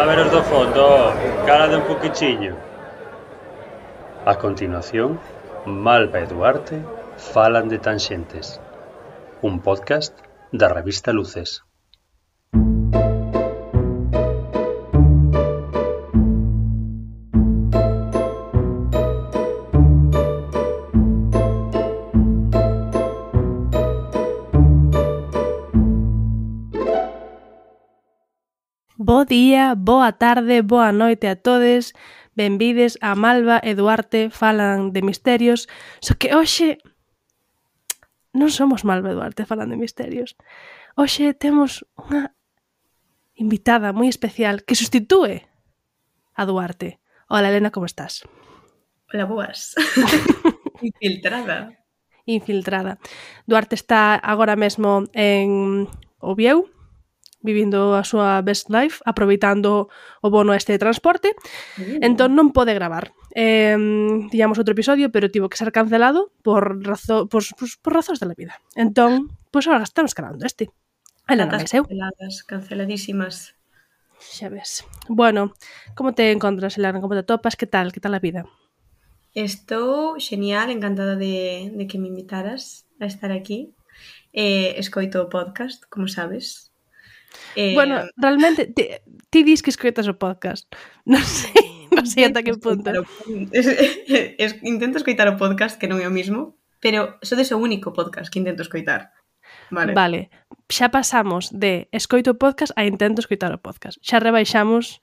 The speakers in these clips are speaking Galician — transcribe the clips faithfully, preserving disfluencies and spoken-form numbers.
A ver os do fondo, calade un poquichiño. A continuación, Malva e Duarte falan de Tanxentes, un podcast da revista Luces. Bo día, boa tarde, boa noite a todes. Benvides a Malva e Duarte falan de misterios. Só que hoxe non somos Malva e Duarte falan de misterios. Hoxe temos unha invitada moi especial que sustitúe a Duarte. Hola, Elena, como estás? Hola, boas. Infiltrada. Infiltrada. Duarte está agora mesmo en Oviedo, vivindo a súa best life, aproveitando o bono este de transporte, uh. entón non pode gravar. Eh, tiñamos outro episodio, pero tivo que ser cancelado por, razo, por, por, por razóns da vida. Entón, pois pues, agora estamos grabando este. Elena máis eu. Canceladas, canceladísimas. Xa ves. Bueno, como te encontras, Elena? Como te topas? Que tal? Que tal a vida? Estou genial, encantada de, de que me invitaras a estar aquí. Eh, escoito o podcast, como sabes. Eh, bueno, realmente ti, ti dis que escoitas o podcast. Non sei, non sei ata que punto. O, es, es, intento escoitar o podcast, que non é o mismo, pero sodes o único podcast que intento escoitar. Vale. Vale, xa pasamos de escoito o podcast a intento escoitar o podcast. Xa rebaixamos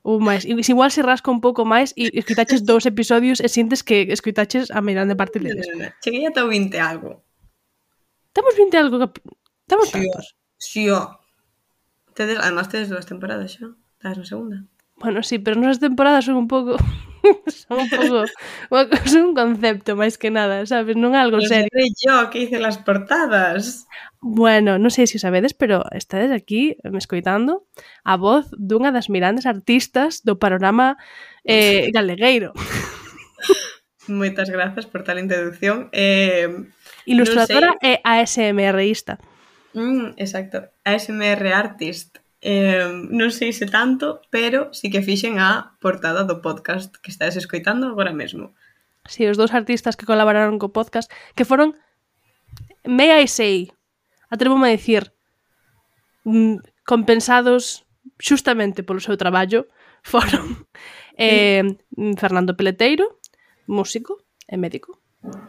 un máis. Igual se rasca un pouco máis e escoitaches dous episodios e sintes que escoitaches a meirande parte deles. No, no, no. Cheguei ata o vinte algo. Temos vinte algo... Temos sí, tantos. Sí, ó. Tedes, además tedes dúas temporadas xa. Estás na segunda. Bueno, sí, pero nosas temporadas son un pouco... son un pouco... son un concepto, máis que nada, sabes? Non é algo Lo serio. Lo yo que hice las portadas. Bueno, non sei se o sabedes, pero estades aquí me escoitando a voz dunha das mirandes artistas do panorama eh, galegueiro. Moitas grazas por tal introducción. Eh, Ilustradora e ASMRista. Mm, exacto, A S M R artist. Eh, non sei se tanto, pero sí que fixen a portada do podcast que estades escoitando agora mesmo. Sí, os dous artistas que colaboraron co podcast, que foron, may I say, atrevo-me a dicir, compensados xustamente polo seu traballo, foron eh, Fernando Peleteiro, músico e médico,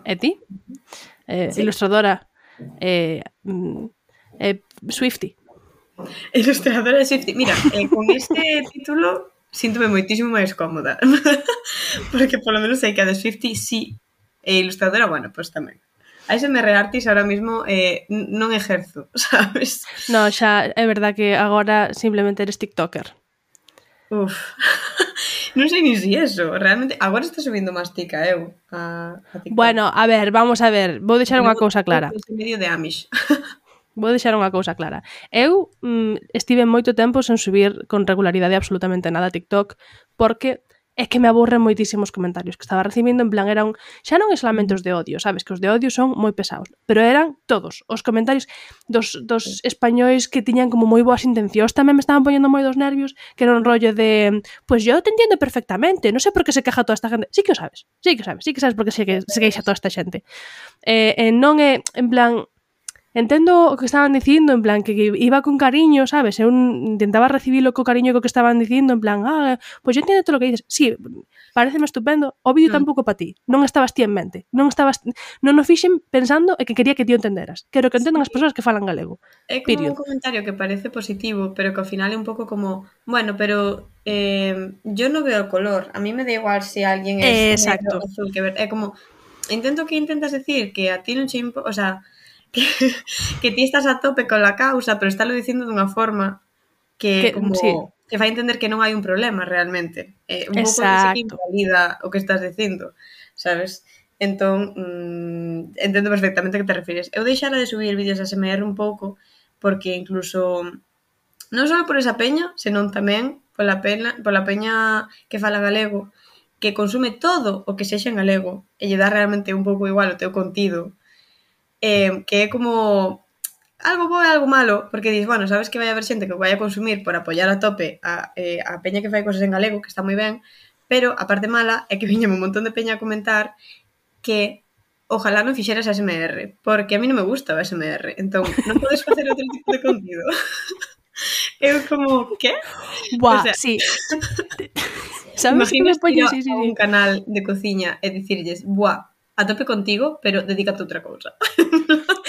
e ti, eh, sí. Ilustradora e eh, eh, Swiftie. Ilustradora de Swiftie. Mira, eh, con este título síntome moitísimo máis cómoda. Porque polo menos sei que a de Swiftie sí. E ilustradora, bueno, pois pues tamén. A S M R artist ahora mismo eh, non exerzo, sabes? No, xa é verdad que agora simplemente eres tiktoker. Uf, non sei ni si eso. Realmente, agora está subindo máis tica eu a, a TikTok. Bueno, a ver, vamos a ver. Vou deixar unha cousa clara. Medio de Amish. Vou deixar unha cousa clara. Eu mm, estive moito tempo sen subir con regularidade absolutamente nada a TikTok porque é que me aburren moitísimos comentarios que estaba recibindo, en plan, eran, xa non é solamente os de odio, sabes, que os de odio son moi pesados, pero eran todos os comentarios dos, dos españois que tiñan como moi boas intencións, tamén me estaban poñendo moi dos nervios, que era un rollo de, pues yo te entiendo perfectamente, non sei por que se queja toda esta gente, sí que o sabes, sí que o sabes, sí que sabes por que se, se queixa toda esta xente. Eh, eh, non é, en plan, entendo o que estaban dicindo, en plan, que iba con cariño, sabes? Eu intentaba recibilo co cariño co que estaban dicindo, en plan, ah, pois pues yo entiendo todo o que dices. Sí, pareceme estupendo, o vídeo mm. tampouco para ti. Non estabas ti en mente. Non estabas non o fixen pensando e que quería que ti o entenderas. Quero que entendan sí. as persoas que falan galego. É como Period. Un comentario que parece positivo, pero que ao final é un pouco como, bueno, pero eh, yo non veo color. A mí me da igual se alguén é negro, azul que ver. É como, intento que intentas decir que a ti non che impo... O sea, Que, que ti estás a tope con la causa, pero estálo dicindo dunha forma que, que como sí. que fai entender que non hai un problema realmente. Eh, un pouco que invalida o que estás dicindo, sabes? Entón, mmm, entendo perfectamente que te refires. Eu deixara de subir vídeos a S M R un pouco, porque incluso non só por esa peña, senón tamén pola peña, pola peña que fala galego, que consume todo o que sexa en galego, e lle dá realmente un pouco igual o teu contido. Eh, que é como algo bo e algo malo, porque dis, bueno, sabes que vai haber xente que vai a consumir por apoiar a tope a, eh, a peña que fai cosas en galego, que está moi ben, pero a parte mala é que viñame un montón de peña a comentar que ojalá non fixeras a S M R, porque a mí non me gusta o S M R, entón non podes facer outro tipo de contido. Eu como, ¿qué? Buah, o sea, sí. Sabes que me poño sí, sí, sí. un canal de cociña e dicirlles, buah, a tope contigo, pero dedícate a outra cousa.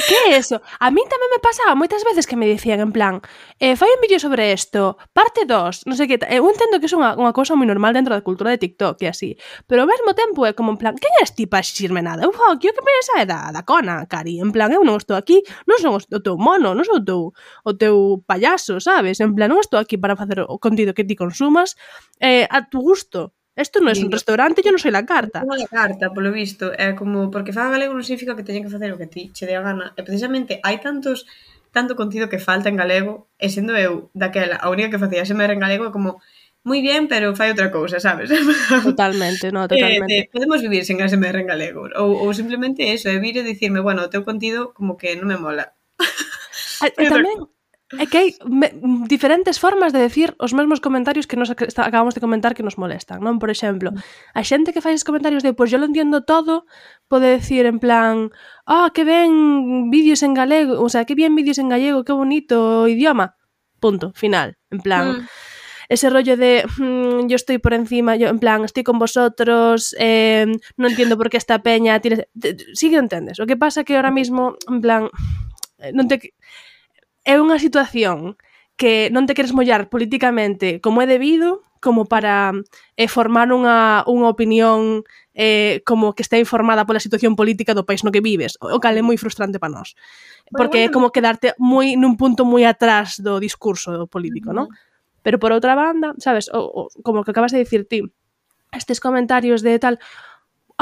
Que é eso? A mí tamén me pasaba moitas veces que me dicían en plan, eh, fai un vídeo sobre isto, parte dos, non sei que, eu entendo que é unha, unha cousa moi normal dentro da cultura de TikTok e así, pero ao mesmo tempo é como en plan, quen és ti para exixirme nada? Eu falo, que o que me é da, da cona, cari, en plan, eu non estou aquí, non son o teu mono, non son o teu, o teu payaso, sabes? En plan, non estou aquí para facer o contido que ti consumas eh, a tu gusto. Isto non é un restaurante, eu non sei la carta. Non é la carta, polo visto. É como, porque faga galego non significa que teñen que facer o que ti che dé a gana. E precisamente hai tantos tanto contido que falta en galego, e sendo eu daquela, a única que facía S M R en galego é como, moi bien, pero fai outra cousa, sabes? Totalmente, no, totalmente. Eh, podemos vivir sen S M R en galego. Ou, ou simplemente eso, é vir e dicirme, bueno, o teu contido como que non me mola. E tamén... É que hai me, diferentes formas de decir os mesmos comentarios que nos acabamos de comentar que nos molestan, non? Por exemplo, a xente que fai esses comentarios de, pois pues, yo lo entiendo todo, pode decir en plan, ah, oh, que ben vídeos en galego, o sea, que bien vídeos en gallego, que bonito idioma, punto, final, en plan... Mm. Ese rollo de mmm, yo estoy por encima, yo en plan, estoy con vosotros, eh, no entiendo por qué esta peña tiene... Sí que entendes. O que pasa que ahora mismo, en plan, non te... É unha situación que non te queres mollar políticamente como é debido, como para eh, formar unha, unha opinión eh, como que está informada pola situación política do país no que vives, o cal é moi frustrante para nós. Porque é como quedarte moi nun punto moi atrás do discurso político, uh-huh. non? Pero por outra banda, sabes, o, o, como que acabas de dicir ti, estes comentarios de tal...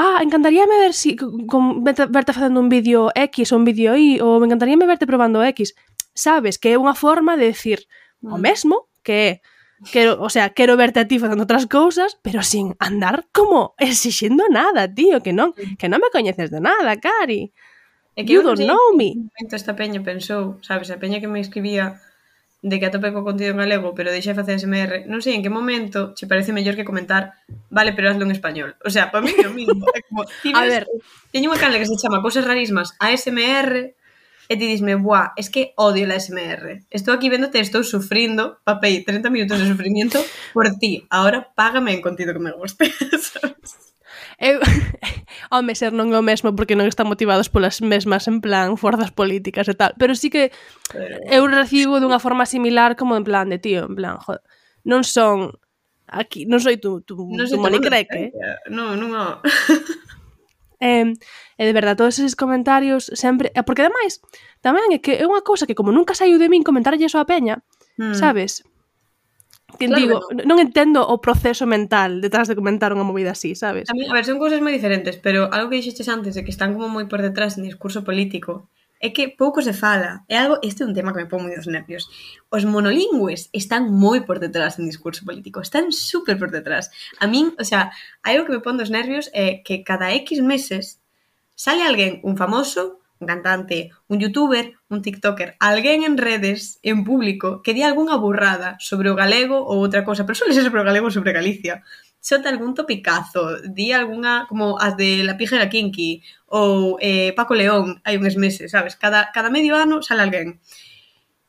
Ah, encantaríame ver si con, verte facendo un vídeo X ou un vídeo Y, ou me encantaríame verte probando X... Sabes que é unha forma de decir o mesmo, que é, quero, o sea, quero verte a ti facendo outras cousas, pero sin andar como exixindo nada, tío, que non, que non me coñeces de nada, cari. É que you don't know me. Esta peña pensou, sabes, a peña que me escribía de que atope co contido en galego, pero deixei facer S M R, non sei en que momento che parece mellor que comentar, vale, pero hazlo en español. O sea, para mí é o mismo. É como, ti ves, a ver, teño unha canle que se chama Cousas Rarísimas A S M R, e ti disme, buah, es que odio la S M R. Estou aquí véndote, estou sufrindo, papei, treinta minutos de sufrimiento por ti. Ahora págame en contido que me guste. Eu, home, ser non é o mesmo porque non están motivados polas mesmas, en plan, forzas políticas e tal. Pero sí que pero... eu recibo dunha forma similar como en plan de, tío, en plan, joder, non son aquí, non soy tu, tu, non tu monicreque. Non, non, non. Eh, e de verdade, todos eses comentarios sempre... Porque ademais, tamén é que é unha cousa que como nunca saiu de min comentarlle eso a peña, hmm. sabes? Que claro, digo, no. non entendo o proceso mental detrás de comentar unha movida así, sabes? A mí, a ver, son cousas moi diferentes, pero algo que dixeches antes de que están como moi por detrás en discurso político é que pouco se fala. É algo, este é un tema que me pon moi dos nervios. Os monolingües están moi por detrás en discurso político, están super por detrás. A min, o sea, algo que me pon dos nervios é que cada X meses sale alguén, un famoso, un cantante, un youtuber, un tiktoker, alguén en redes, en público, que di algunha burrada sobre o galego ou outra cosa, pero suele ser sobre o galego ou sobre Galicia. Xota algún topicazo, di algunha, como as de La Pija e la Kinky, ou eh, Paco León, hai uns meses, sabes? Cada, cada medio ano sale alguén.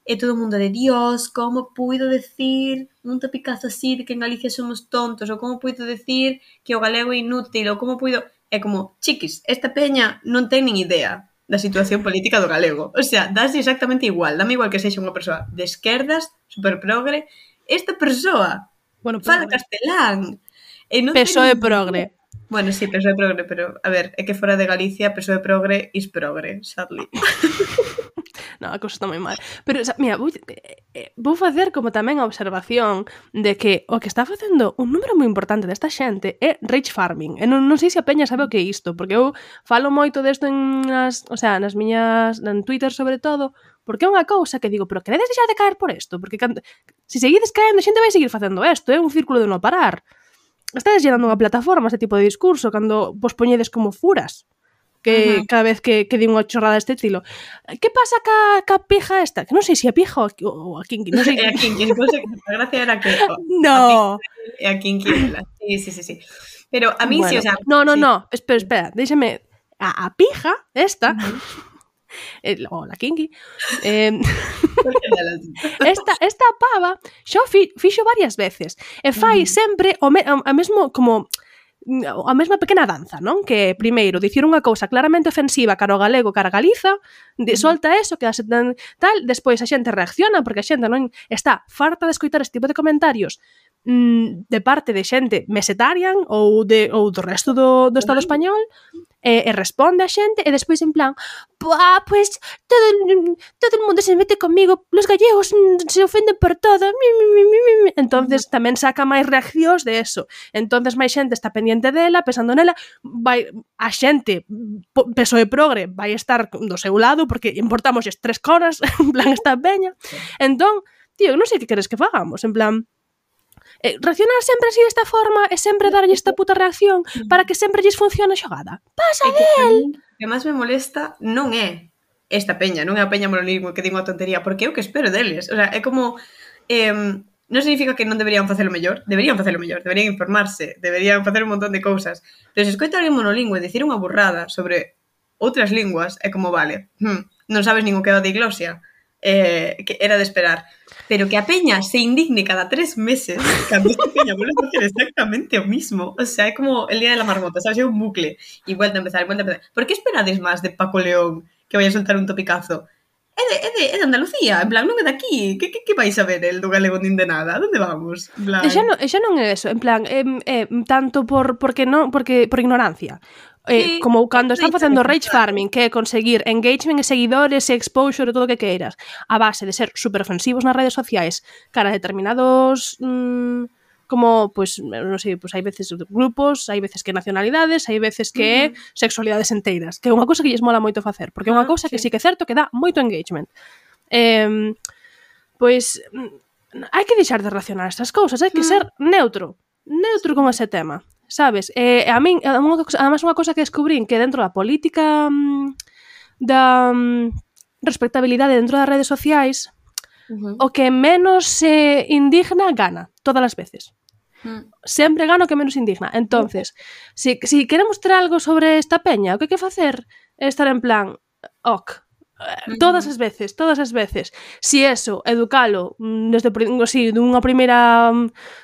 E todo o mundo de Dios, como puido decir un topicazo así de que en Galicia somos tontos, ou como puido decir que o galego é inútil, ou como puido... É como, chiquis, esta peña non ten nin idea da situación política do galego. O sea, dase exactamente igual. Dame igual que sexa unha persoa de esquerdas, super progre. Esta persoa bueno, fala castelán. E non P S O E progre. Bueno, sí, P S O E progre, pero, a ver, é que fora de Galicia, P S O E progre is progre, sadly. No, a cousa está moi mal. Pero, o sea, mira, vou, eh, vou facer como tamén a observación de que o que está facendo un número moi importante desta xente é rage farming. E non, non sei se a peña sabe o que é isto, porque eu falo moito desto en nas, o sea, nas miñas, en Twitter sobre todo, porque é unha cousa que digo, pero queredes deixar de caer por isto? Porque cando, se seguides caendo, a xente vai seguir facendo isto, é un círculo de non parar. Estades llenando unha plataforma este tipo de discurso cando vos poñedes como furas. que Ujú. cada vez que, que di unha chorrada deste estilo. Que pasa ca, ca pija esta? Que non sei se a pija ou a, ou a kinky, non sei. E a Kinky, entonces, a gracia era que oh, No. e a Kinky ela. Sí, sí, sí, sí. Pero a mí Bueno, sí, o sea... no, no, sí. no, espera, espera, déxame. A, a pija esta, Uh-huh. el, o la kinky, eh, Delas. esta, esta pava xa o fi, fixo varias veces e fai Ujú. sempre o, me, a mesmo como a mesma pequena danza, non? Que primeiro dicir unha cousa claramente ofensiva cara ao galego, cara a Galiza, de, solta eso, que a tan, tal, despois a xente reacciona porque a xente non está farta de escoitar este tipo de comentarios mm, de parte de xente mesetarian ou de ou do resto do, do Estado español. E, e responde a xente e despois en plan ah, pues todo, todo el mundo se mete conmigo, los gallegos se ofenden por todo, entonces tamén saca máis reaccións de eso, entonces máis xente está pendiente dela, pensando nela, vai, a xente P S O E Progre vai estar do seu lado porque importamos tres coras, en plan esta peña, entón, tío, non sei que queres que fagamos, en plan Eh, reaccionar sempre así desta forma e sempre darlle esta puta reacción para que sempre lles funcione a xogada. Pasa É que del! o que máis me molesta non é esta peña, non é a peña monolingüe que digo a tontería, porque é o que espero deles. O sea, é como... Eh, non significa que non deberían facelo mellor, deberían facelo mellor, deberían informarse, deberían facer un montón de cousas. Pero se escoita alguén monolingüe dicir unha burrada sobre outras linguas, é como, vale, hm, non sabes nin o que é a diglosia, eh, que era de esperar. Pero que a peña se indigne cada tres meses cando esta peña vuelve a hacer exactamente o mismo. O sea, é como el día de la marmota, sabes? É un bucle. E vuelta a empezar, vuelta a empezar. Por que esperades máis de Paco León que vai a soltar un topicazo? É de, é de, é de Andalucía, en plan, non é de aquí. Que, que, que vais a ver el do galego nin de nada? Donde vamos? En plan... E xa non, e xa non é eso, en plan, eh, eh, tanto por porque non, porque por ignorancia. Eh, Sí, como cando están rage facendo farming, rage farming, que é conseguir engagement e seguidores e exposure e todo o que queiras, a base de ser super ofensivos nas redes sociais cara a determinados mmm, como, pues, non sei, pues hai veces grupos, hai veces que nacionalidades, hai veces que uh-huh. sexualidades enteiras, que é unha cousa que lles mola moito facer, porque é unha cousa uh, que sí. sí que é certo que dá moito engagement. Eh, pois hai que deixar de racionar estas cousas, hai que uh-huh. ser neutro, neutro con ese tema. Sabes? Eh, a min, además unha cosa que descubrín que dentro da política mmm, da mmm, respectabilidade dentro das redes sociais uh-huh. o que menos se eh, indigna gana, todas as veces. Uh-huh. Sempre gana o que menos indigna. Entonces, uh-huh. si, si queremos ter algo sobre esta peña, o que hai que facer é estar en plan ok, uh-huh. todas as veces, todas as veces. Si eso, educalo desde si, dunha primeira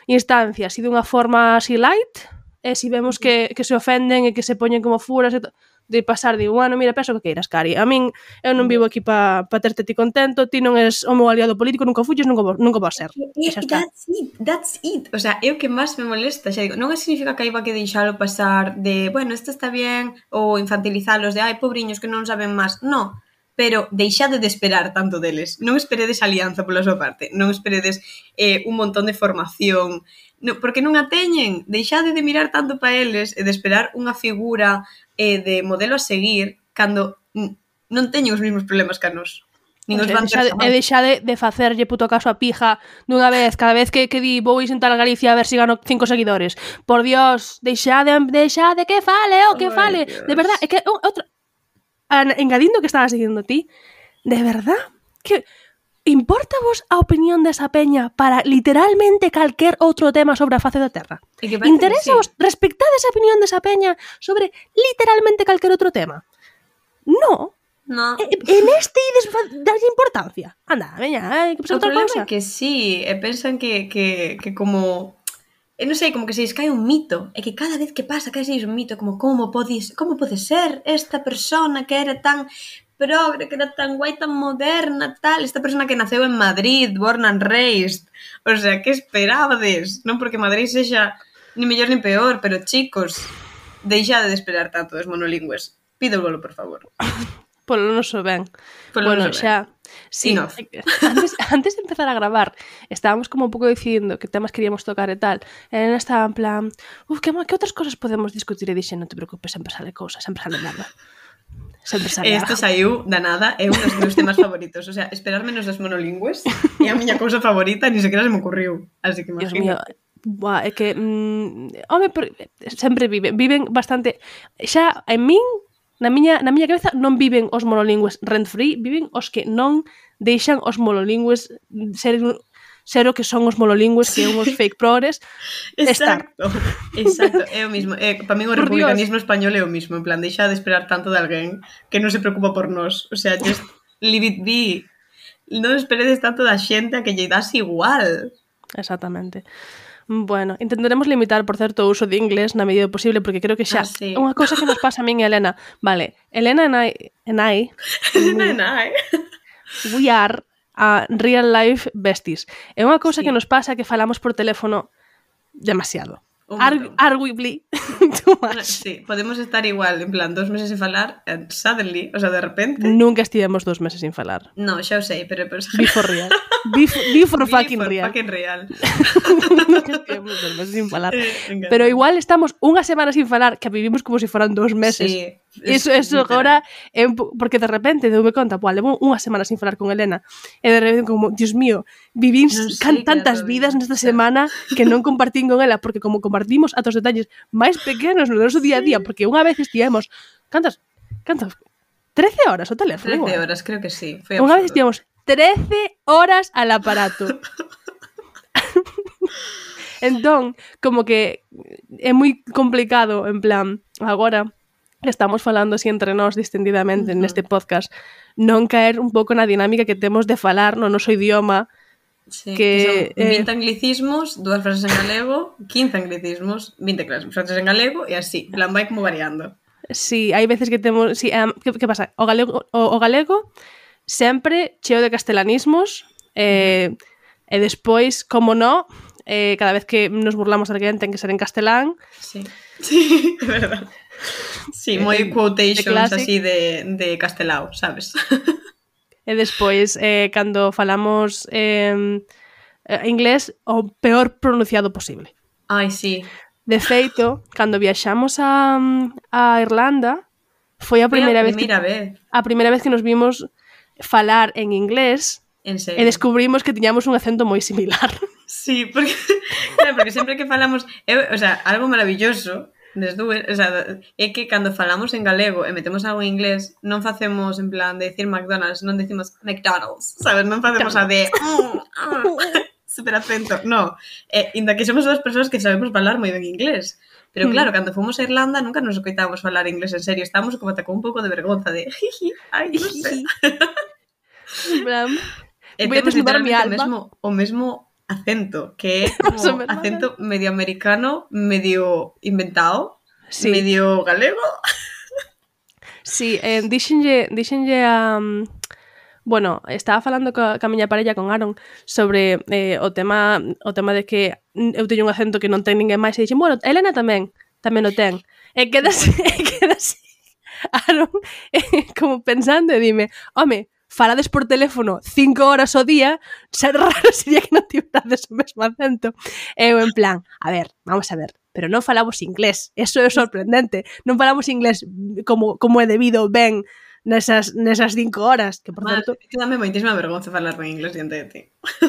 instancia, si dunha forma así light, e se si vemos que, que se ofenden e que se poñen como furas e to, de pasar, digo, bueno, mira, penso que queiras, Cari. A min, eu non vivo aquí para pa terte ti contento, ti non és o meu aliado político, nunca fuches, nunca, nunca vou ser. E xa está. That's it, that's it. O sea, é o que máis me molesta. Xa digo, non significa que hai que deixalo pasar de, bueno, isto está bien, ou infantilizalos de, ai, pobriños que non saben máis. No, pero deixade de esperar tanto deles. Non esperedes alianza pola súa parte, non esperedes eh, un montón de formación, no, porque non a teñen. Deixade de mirar tanto para eles e de esperar unha figura eh, de modelo a seguir cando non teñen os mesmos problemas que a nos. Nin os van ter e deixade de facerlle puto caso a pija dunha vez, cada vez que, que di vou intentar a Galicia a ver se si gano cinco seguidores. Por Dios, deixade, deixade que fale, o oh, que fale. Dios. De verdad, é que outra engadindo que estabas dicindo ti, de verdad que importa vos a opinión desa peña para literalmente calquer outro tema sobre a face da terra? Interesa vos sí. respectade esa opinión desa peña sobre literalmente calquer outro tema? No. No. E, en este ides darlle importancia. Anda, veña, hai que pensar outra cosa. O problema é que sí, e pensan que, que, que como... Eu non sei, como que se descae un mito, é que cada vez que pasa cae un mito, como como podes, como pode ser esta persona que era tan progre, que era tan guai, tan moderna, tal, esta persona que naceu en Madrid, born and raised, o sea, que esperabades? Non porque Madrid sexa ni mellor ni peor, pero chicos, deixade de esperar tanto dos monolingües, pídovolo, por favor. Polo noso ben. Polo bueno, noso xa, sí, antes, antes de empezar a gravar, estábamos como un pouco dicindo que temas queríamos tocar e tal, e Elena estaba en plan, uf, que, que outras cosas podemos discutir? E dixe, non te preocupes, sempre sale cousa, sempre sale nada. Sempre sale Isto saiu da nada, é un dos meus temas favoritos, o sea, esperar menos das monolingües é a miña cousa favorita, ni sequera se me ocurriu, así que imagino. Buah, é que, mm, home, sempre viven, viven bastante, xa, en min, na miña, na miña cabeza non viven os monolingües rent-free, viven os que non deixan os monolingües ser, ser o que son os monolingües, que son os fake progres. Exacto, exacto, é o mismo. É, para mí o republicanismo español é o mismo, en plan, deixa de esperar tanto de alguén que non se preocupa por nós. O sea, just leave it be. Non esperedes tanto da xente a que lle das igual. Exactamente. Bueno, intentaremos limitar, por certo, o uso de inglés na medida do posible, porque creo que xa... Ah, sí. Unha cousa que nos pasa a min e a Elena... Vale, Elena and I... And I Elena and I... We are a real life besties. É unha cousa Sí. que nos pasa que falamos por teléfono demasiado. Un Ar montón. arguably too much. Sí, podemos estar igual, en plan, dos meses sin falar, and suddenly, o sea, de repente... Nunca estivemos dos meses sin falar. No, xa o sei, pero... pero... Be for real. Be for, be for Be fucking for real. fucking real. Nunca estivemos dos meses sin falar. Eh, Pero igual estamos unha semana sin falar que vivimos como se si foran dos meses. Sí. Eso, eso agora é un po- porque de repente deume conta, pois levo unha semana sin falar con Elena e de repente como, Dios mío, vivín Non sei can que tantas era vidas todavía. nesta semana que non compartín con ela, porque como compartimos atos detalles máis pequenos no noso día a día, porque unha vez estivemos cantas, cantas trece horas o teléfono. trece igual. horas, creo que sí. Foi Unha vez absurdo. estivemos trece horas al aparato. Entón, como que é moi complicado, en plan, agora que estamos falando así entre nós distendidamente Uh-huh. neste podcast, non caer un pouco na dinámica que temos de falar no noso idioma. Sí, que, que son eh, vinte anglicismos, dúas frases en galego, quince anglicismos, vinte frases en galego e así, en plan, vai como variando. Sí, hai veces que temos... Sí, um, que, que pasa? O galego, o, o galego sempre cheo de castelanismos eh, e despois, como no, eh, cada vez que nos burlamos de alguén ten que ser en castelán. Sí, sí, é verdade. Sí, moi Eh, quotations de classic. así de, de castelao, sabes? E despois, eh, cando falamos eh, eh, inglés, o peor pronunciado posible. Ai, sí. De feito, cando viaxamos a, a Irlanda, foi a Foi primeira a vez que primeira vez, a primeira vez que nos vimos falar en inglés en serio. e descubrimos que tiñamos un acento moi similar. Sí, porque, claro, porque sempre que falamos, eu, o sea, algo maravilloso des dúas, o sea, é que cando falamos en galego e metemos algo en inglés, non facemos en plan de decir McDonald's, non decimos McDonald's, sabes? Non facemos a de mm, ah, super acento, no. Eh, inda que somos dúas persoas que sabemos falar moi ben inglés. Pero claro, cando fomos a Irlanda nunca nos escoitábamos falar inglés en serio, estábamos como con un pouco de vergonza de jiji, ai, non sei. En plan, E voy a temos desnudar mi literalmente o alma. mesmo, o mesmo acento, que é Más o como menos. acento medio americano, medio inventado, Sí. medio galego. Sí, eh, dixenlle, dixenlle a... Um, bueno, estaba falando ca, ca miña parella con Aaron sobre eh, o tema o tema de que eu teño un acento que non ten ninguén máis e dixen, bueno, Elena tamén, tamén o ten. E quedase, e quedase Aaron eh, como pensando e dime, home, falades por teléfono cinco horas ao día, ser raro sería que non tivades o mesmo acento. E eu en plan, a ver, vamos a ver, pero non falamos inglés, eso é sorprendente, non falamos inglés como, como é debido ben nesas, nesas cinco horas, que por Mal, certo... que dame moitísima vergonza falar en inglés diante de ti.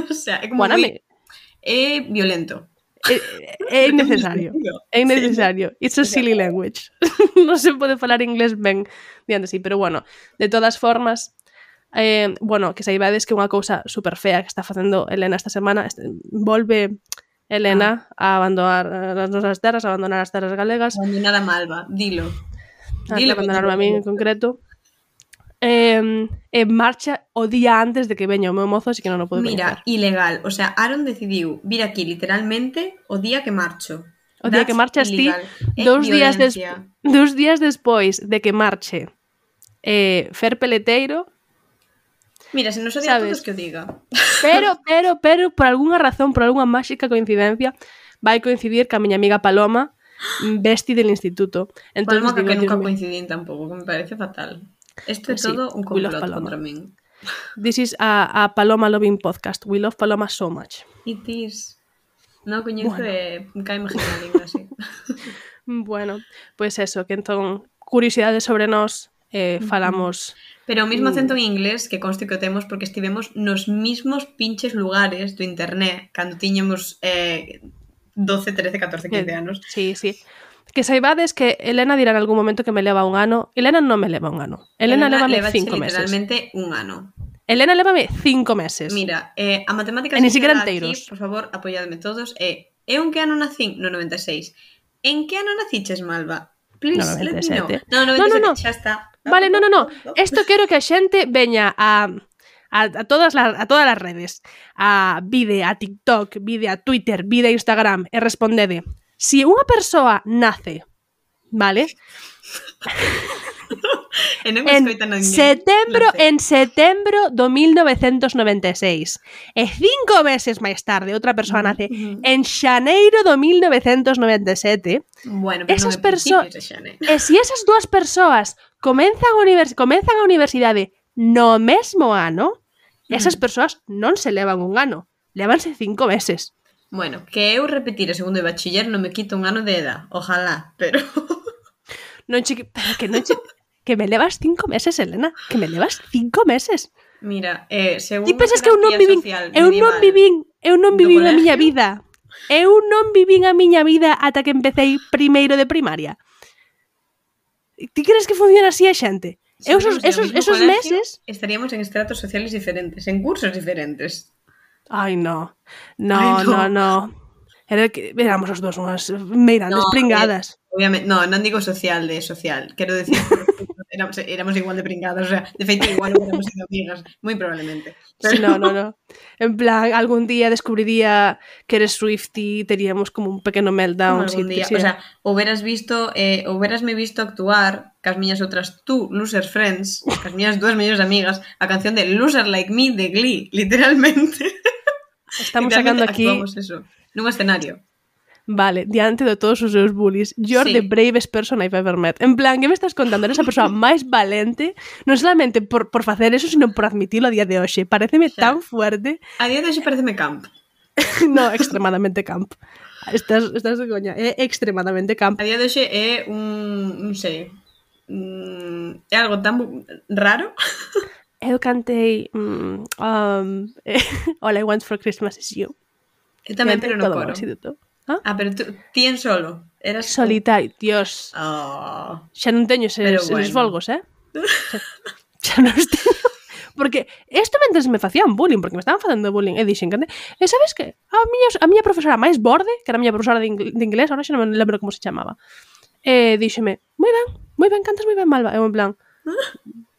O sea, é como Bueno, moi... me, É violento. é, é innecesario. É innecesario. It's a silly language. Non se pode falar inglés ben diante sí, pero bueno, de todas formas, eh, bueno, que saibades que unha cousa super fea que está facendo Elena esta semana, este, volve Elena ah. a abandonar as nosas terras, a abandonar as terras galegas, Abandonar a Malva, dilo. a Dilo, abandonarme a min en concreto. Eh, e marcha o día antes de que veña o meu mozo, así que non o podo Mira, coñecer. ilegal. O sea, Aaron decidiu vir aquí literalmente o día que marcho. O día que That's marchas ti, illegal. É dous días, des, violencia. dous días despois de que marche eh, Fer Peleteiro, Mira, se nos odia a Sabes? todos que o diga. pero, pero, pero, por algunha razón, por algunha máxica coincidencia, vai coincidir ca miña amiga Paloma, besti del instituto. Entón, Paloma, que digo, nunca Dios mío, coincidín tampouco, que me parece fatal. Isto é Sí, todo un we love complot Paloma. contra min. this is a, a Paloma loving podcast. We love Paloma so much. It is. Non o coñezo Bueno. e cae genial língua así. Bueno, pois pues eso, que entón, curiosidades sobre nós, eh, falamos... Pero o mismo Mm. acento en inglés que conste que o temos porque estivemos nos mismos pinches lugares do internet cando tiñemos eh, doce, trece, catorce, quince Eh, anos. Sí, sí. Que saibades que Elena dirá en algún momento que me leva un ano. Elena non me leva un ano. Elena, Elena lévame cinco meses. Literalmente un ano. Elena lévame cinco meses. Mira, eh, a matemática e ni siquiera enteiros. Aquí, por favor, apoyadme todos. Eh, eu en que ano nacín? No noventa e seis. En que ano naciches, Malva? Please, no, noventa e sete. No, no, noventa e sete, no, no, no. xa está. Vale, no, no, no. Esto quero que a xente veña a... A, a, todas las, a todas as redes, a Vide, a TikTok, Vide, a Twitter, Vide, a Instagram, e respondede. Si unha persoa nace, vale? e non en ninguén, setembro, en setembro do mil novecentos noventa e seis, e cinco meses máis tarde outra persoa nace uh-huh. en xaneiro do mil novecentos noventa e sete. Bueno, pero esas non persoas, e se si esas dúas persoas comenzan a, univers comenzan a universidade no mesmo ano, esas persoas non se levan un ano, levanse cinco meses. Bueno, que eu repetir o segundo de bachiller non me quito un ano de edad, ojalá, pero... non che... Pero que non che... Que me levas cinco meses, Elena, que me levas cinco meses. Mira, eh, según... Ti pensas que eu non vivín, eu non vivín, eu non vivín a miña vida. Eu non vivín a miña vida ata que empecé primeiro de primaria. Ti crees que funciona así a xente? Si esos, esos, esos meses estaríamos en estratos sociales diferentes, en cursos diferentes. Ai, no. No, Ay, no, no, no. Era que éramos os dos unhas meirandes no, pringadas. Eh, obviamente, no, non digo social de social, quero decir éramos, éramos igual de pringadas, o sea, de feito igual éramos sido amigas, moi probablemente. Pero... Sí, no, no, no. En plan, algún día descubriría que eres Swiftie, teríamos como un pequeno meltdown. Algún sí, día, sí. O sea, ou veras visto, eh, ou verasme visto actuar cas miñas outras tú, loser friends, cas miñas dúas mellores amigas, a canción de Loser Like Me de Glee, literalmente. Estamos literalmente sacando aquí... Actuamos eso, nun escenario. Vale, diante de todos os seus bullies, you're sí. the bravest person I've ever met. En plan, que me estás contando? Eres a persoa máis valente, non solamente por, por facer eso, sino por admitirlo a día de hoxe. Pareceme o sea, tan fuerte. A día de hoxe pareceme camp. No, extremadamente camp. Estás, estás de coña, é extremadamente camp. A día de hoxe é un, non sei, un, é algo tan raro. Eu cantei um, um, All I Want for Christmas is You. Eu tamén, pero no coro. ¿Ah? ah, pero tú, ti en solo. Eras solitario, tú? Dios. Oh. Xa non teño eses, bueno. eses folgos, eh? Xa, xa non os teño. Porque isto mentres me facían bullying, porque me estaban facendo bullying, e dixen, e sabes que? A miña, a miña profesora máis borde, que era a miña profesora de, ingl- de inglés, ahora xa non me lembro como se chamaba, e díxeme, moi ben, moi ben, cantas moi ben, Malva. Eu en plan,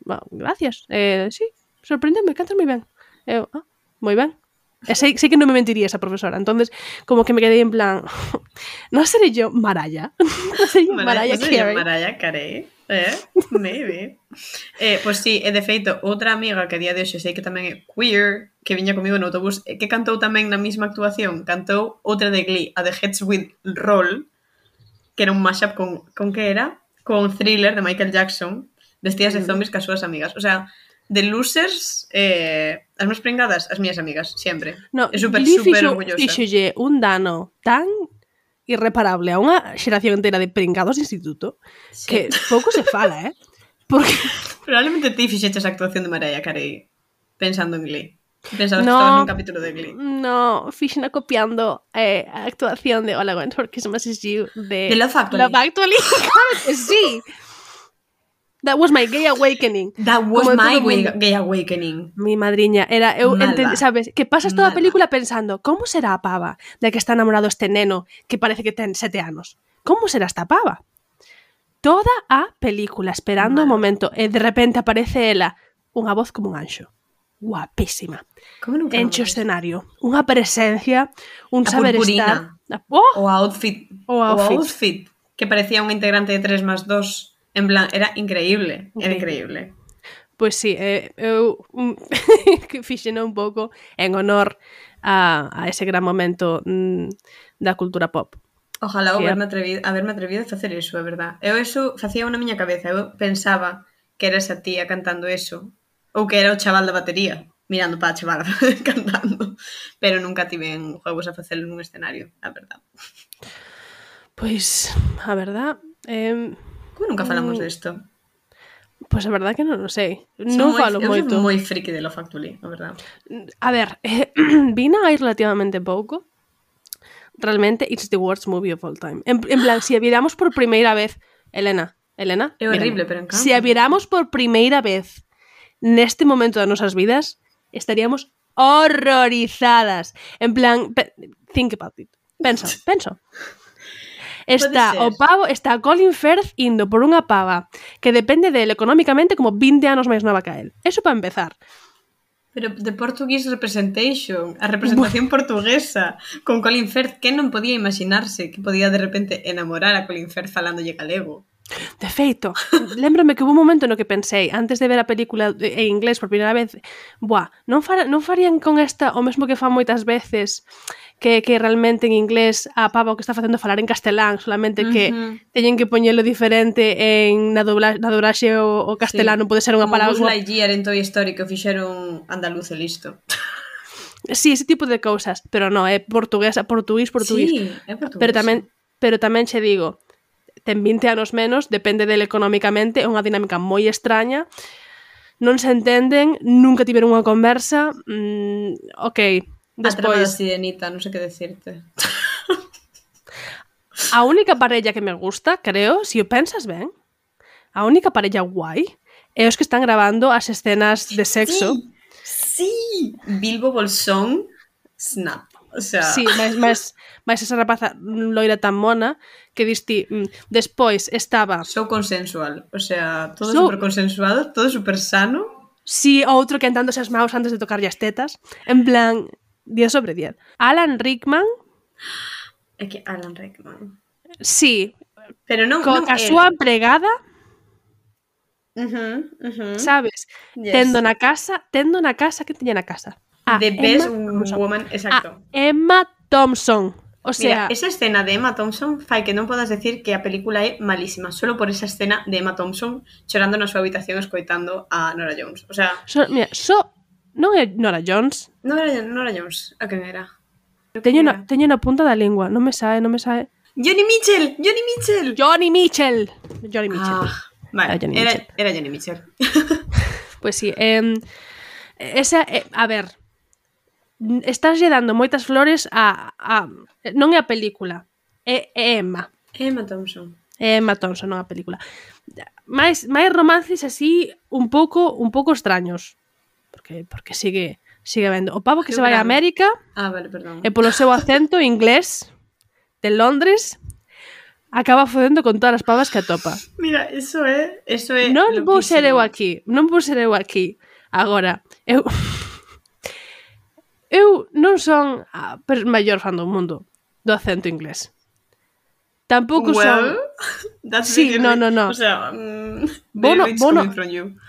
well, gracias, eh, sí, sorprendeme, cantas moi ben. Eu, ah, moi ben. E sei, sei que non me mentiría esa profesora, entonces como que me quedei en plan, non serei yo Mariah? Non serei yo Mariah Carey? Mariah Carey, eh? Maybe. Eh, pois pues sí, e de feito, outra amiga que a día de hoxe sei que tamén é queer, que viña comigo no autobús, que cantou tamén na mesma actuación, cantou outra de Glee, a de Heads with Roll, que era un mashup con, con que era? Con Thriller de Michael Jackson, vestidas de zombies cas súas amigas. O sea, de losers, eh, as máis pringadas, as mías amigas, sempre. No, é super, super orgullosa. Fixolle un dano tan irreparable a unha xeración entera de pringados de instituto sí. que pouco se fala, eh? Porque... Probablemente ti fixeches a actuación de Mariah Carey pensando en Glee. Pensabas no, que estabas nun capítulo de Glee. No, fixena copiando eh, a actuación de All I Want for Christmas is You de, de Love Actually. Love Actually, claro que sí. That was my gay awakening. That was Como my gay, gay awakening. Mi madriña era eu entend, sabes, que pasas toda a película pensando, como será a pava de que está enamorado este neno que parece que ten sete anos? Como será esta pava? Toda a película esperando o momento e de repente aparece ela, unha voz como un anxo. Guapísima. Enche o escenario, unha presencia, un a saber purpurina. Estar. Oh! O outfit, o outfit. O outfit, que parecía un integrante de tres más dos. En plan, era increíble, era increíble. Pois pues sí, eh, eu que fixeno un pouco en honor a, a ese gran momento mm, da cultura pop. Ojalá haberme atrevido, haberme atrevido a facer iso, é verdad. Eu eso facía na miña cabeza, eu pensaba que era esa tía cantando eso, ou que era o chaval da batería, mirando para a chavala cantando, pero nunca tive en juegos a facelo nun escenario, a verdad. Pois, a verdad... Eh, Como nunca falamos mm, desto? Pois a verdad que non o sei. Non falo moito. Eu son moi friki de Love Actually, a verdad. A ver, eh, vina aí relativamente pouco. realmente it's the worst movie of all time. En, en plan, si a viramos por primeira vez, Elena, Elena, é horrible, pero encanta. Se a viramos por primeira vez neste momento das nosas vidas, estaríamos horrorizadas. En plan, think about it. Pensa, pensa. Está o pavo, está Colin Firth indo por unha pava que depende del económicamente como vinte anos máis nova que a él. Eso para empezar. Pero de Portuguese Representation, a representación portuguesa con Colin Firth, que non podía imaginarse que podía de repente enamorar a Colin Firth falándolle galego. De feito, lembrome que hubo un momento no que pensei, antes de ver a película en inglés por primeira vez, buah, non, far, non farían con esta o mesmo que fan moitas veces, que, que realmente en inglés a pava o que está facendo falar en castelán, solamente que uh-huh. teñen que poñelo diferente en na, dobla, na dobraxe o, o castelán, sí. Non pode ser unha palabra... Como Buzz Lightyear en Toy Story que o fixeron andaluz e listo. Sí, ese tipo de cousas, pero non, é portuguesa, portugués, portugués. Sí, é portugués. Pero tamén, pero tamén che digo, ten vinte anos menos, depende del económicamente, é unha dinámica moi extraña, non se entenden, nunca tiveron unha conversa, mm, ok, despois... A trama da sirenita, non sei que decirte. A única parella que me gusta, creo, se si o pensas ben, a única parella guai é os que están grabando as escenas de sexo. Sí, sí. Bilbo Bolsón, snap. O sea... Sí, máis, máis, máis esa rapaza loira tan mona que diste, mm, despois estaba... So consensual, o sea, todo so... super consensuado, todo super sano. Sí, outro que entándose as maus antes de tocarlle as tetas, en plan, diez sobre diez. Alan Rickman... É que Alan Rickman... Sí, pero non, co non a súa empregada, uh-huh, uh-huh. sabes, yes. tendo na casa, tendo na casa, que tiña na casa? A The Best Woman, exacto. A Emma Thompson. O sea... Mira, esa escena de Emma Thompson fai que non podas decir que a película é malísima, solo por esa escena de Emma Thompson chorando na súa habitación escoitando a Nora Jones. O sea... So, mira, so... Non é Nora Jones. Non era Nora Jones. A quen era? Teño na, teño na punta da lingua. Non me sae, non me sae. Johnny Mitchell! Johnny Mitchell! Johnny Mitchell! Johnny Mitchell. Ah, vale, era Johnny era, Mitchell. Era Johnny Mitchell. Pois pues sí. Eh, esa, eh, a ver... Estás lle dando moitas flores a, a... Non é a película. É, é Emma. Emma Thompson. É Emma Thompson, non a película. Mais, máis romances así un pouco un pouco extraños. Porque, porque sigue sigue vendo. O pavo que Qué se vai a América ah, vale, perdón. e polo seu acento inglés de Londres acaba fodendo con todas as pavas que atopa. Mira, eso é... Eso é non loquísimo. vou ser eu aquí. Non vou ser eu aquí. Agora, eu... Eu non son a maior fan do mundo do acento inglés. Tampouco well, son... Sí, no, no, no. O sea, um, bono, bono.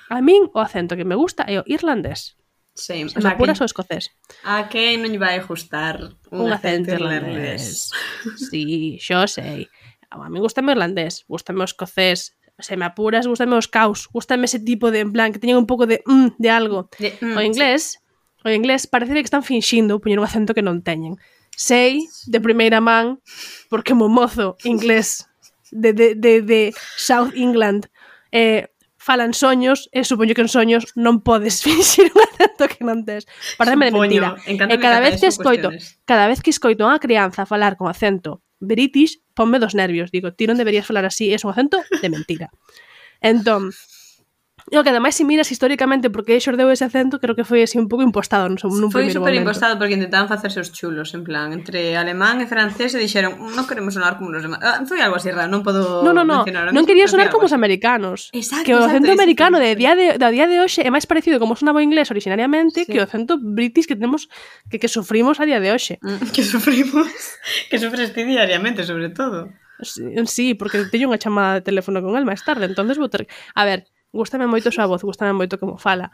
A min o acento que me gusta é o irlandés. Same. Se me apuras o escocés. A que non lle vai gustar un, un acento, acento irlandés. irlandés. Sí, xo sei. A min gustame o irlandés, gustame o escocés. Se me apuras, gustame os caos. Gustame ese tipo de, en plan, que teñen un pouco de mm, de algo. De, mm, o inglés... Sí. O inglés parece que están finxindo poñer un acento que non teñen. Sei de primeira man, porque mo mozo inglés de, de, de, de South England eh, falan soños, e supoño que en soños non podes finxir un acento que non tes. Pareceme de mentira. E cada vez que escoito, cada vez que escoito a unha crianza falar con acento british, ponme dos nervios. Digo, ti non deberías falar así, é un acento de mentira. Entón, o que ademais se miras históricamente porque xordeu ese acento, creo que foi así un pouco impostado nun, nun foi primeiro momento. Foi super impostado porque intentaban facerse os chulos, en plan, entre alemán e francés e dixeron, non queremos sonar como os demás. Ah, foi algo así raro, non podo no, no, no. mencionar. Non quería sonar como os americanos. Exacto, que o acento exacto, americano exacto. de día de, de día de hoxe é máis parecido como sonaba o inglés originariamente sí. que o acento british que tenemos que, que sufrimos a día de hoxe. Mm, que sufrimos, que sufres ti diariamente, sobre todo. Sí, sí, porque teño unha chamada de teléfono con el máis tarde, entonces vou ter... A ver, gústame moito a súa voz, gústame moito como fala.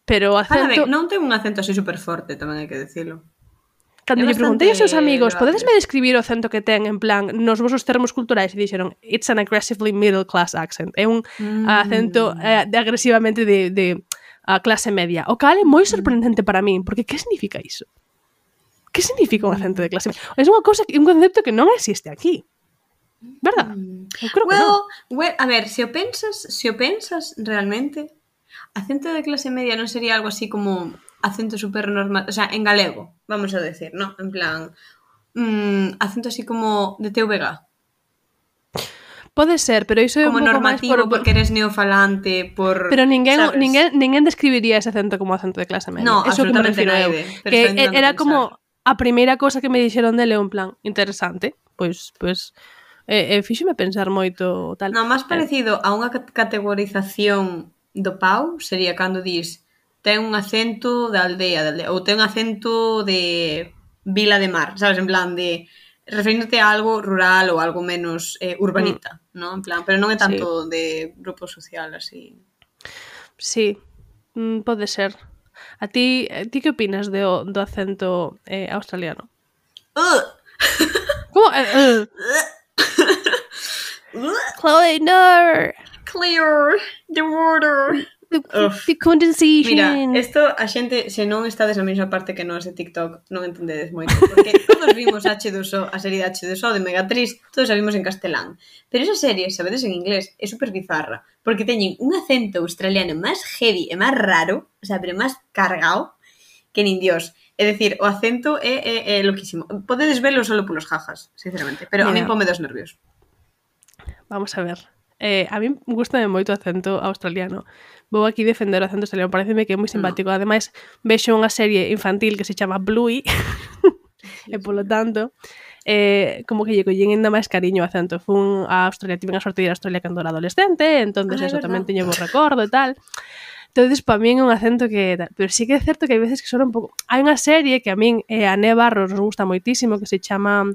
Pero o acento... Fala ben, non ten un acento así super forte, tamén hai que decirlo. Cando lle preguntei aos seus amigos, podesme describir o acento que ten en plan nos vosos termos culturais e dixeron, it's an aggressively middle class accent. É un mm. acento eh, de agresivamente de, de uh, clase media. O cal é moi sorprendente para min, porque que significa iso? Que significa un acento de clase media? É unha cousa, un concepto que non existe aquí. ¿Verdad? Eu creo que well, non. Well, a ver, se o pensas, se o pensas realmente, acento de clase media non sería algo así como acento super normal, o sea, en galego, vamos a decir, ¿no? En plan, mmm, acento así como de T V G. Pode ser, pero iso é como un pouco normativo máis por... porque eres neofalante, por... Pero ninguén, sabes? ninguén, ninguén describiría ese acento como acento de clase media. No, eso que me absolutamente refiro eu. naide, pero Que está intentando era pensar. como a primeira cosa que me dixeron dele, un plan interesante, pois pois eh, eh, fíxeme pensar moito tal. No, máis parecido a unha categorización do Pau sería cando dis ten un acento de aldea, de aldea ou ten un acento de vila de mar, sabes, en plan de referíndote a algo rural ou algo menos eh, urbanita, mm. ¿no? En plan, pero non é tanto sí. de grupo social así. Sí, mm, pode ser. A ti, a ti que opinas do, do acento eh, australiano? Uh. Como? Uh, uh. Chloe, no! Clear the water. The, the condensation. Mira, isto a xente, se non estades na mesma parte que nós de TikTok, non entendedes moito, porque todos vimos hache dos O, a serie de hache dos O de Megatriz, todos a vimos en castelán. Pero esa serie, sabedes en inglés, é super bizarra, porque teñen un acento australiano máis heavy e máis raro, o sea, pero máis cargado, que nin Dios. É dicir, o acento é, é, é loquísimo. Podedes velo solo polos jajas, sinceramente, pero Mira. a mí pome dos nervios. Vamos a ver. Eh, a mí gustame moito o acento australiano. Vou aquí defender o acento australiano, pareceme que é moi simpático. No. Ademais, vexo unha serie infantil que se chama Bluey, e polo tanto, eh, como que lle collín ainda máis cariño o acento. Fun a Australia, tive a sorte de ir a Australia cando era adolescente, entonces ah, eso tamén teño bo recordo e tal. Entonces, para min é un acento que... Pero sí que é certo que hai veces que sona un pouco... Hai unha serie que a min e eh, a Né Barros nos gusta moitísimo, que se chama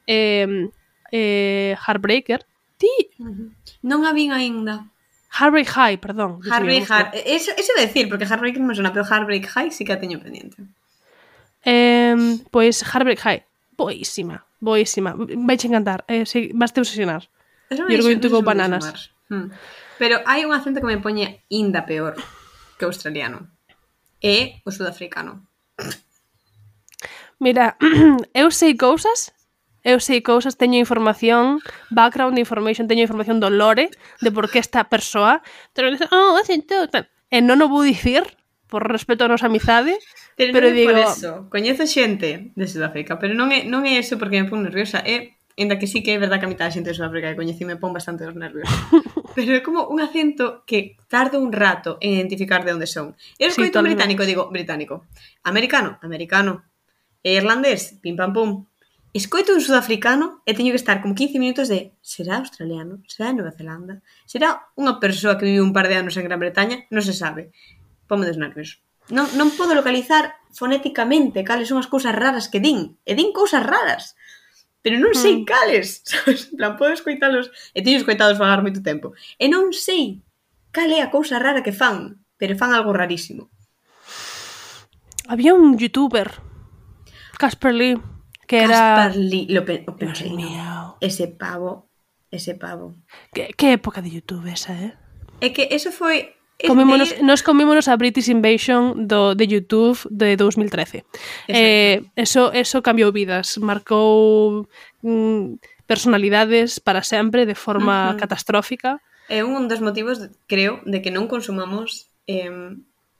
eh, eh, Heartbreaker. Ti? Uh-huh. Non a vin aínda. Heartbreak High, perdón. Heartbreak High. Eso, eso de decir, porque Heartbreak non me sona, pero Heartbreak High sí que a teño pendiente. Eh, pois Heartbreak High. Boísima, boísima. Vai che encantar. Eh, sí, vas te obsesionar. You're going to go bananas. Hmm. Pero hai un acento que me poñe inda peor que o australiano. É o sudafricano. Mira, eu sei cousas... Eu sei cousas, teño información, background information, teño información do lore, de por que esta persoa, pero dice, oh, acento, tal. E non o vou dicir, por respeto a nosa amizade, pero, pero non digo... por eso, coñezo xente de Sudáfrica, pero non é, non é eso porque me pon nerviosa, é, ainda que sí que é verdad que a mitad da xente de Sudáfrica que coñeci me pon bastante os nervios. Pero é como un acento que tarda un rato en identificar de onde son. Eu escoito sí, un británico, digo, británico. Americano, americano. E irlandés, pim pam pum. Escoito un sudafricano e teño que estar como quince minutos de será australiano? Será de Nova Zelanda? Será unha persoa que vive un par de anos en Gran Bretaña? Non se sabe. Pome dos nervios. Non, non podo localizar fonéticamente cales son as cousas raras que din. E din cousas raras. Pero non sei mm. cales. Sabes? En plan, podo escoitalos. E teño escoitados falar moito tempo. E non sei cal é a cousa rara que fan. Pero fan algo rarísimo. Había un youtuber, Casper Lee, que era... Casper Lee, lo, pe- lo pensei, no. Ese pavo, ese pavo. Que, que época de YouTube esa, eh? É que eso foi... Comímonos, de... Nos comímonos a British Invasion do, de YouTube de dos mil trece. Eh, eso, eso cambiou vidas, marcou mm, personalidades para sempre de forma uh-huh. catastrófica. É un dos motivos, creo, de que non consumamos eh,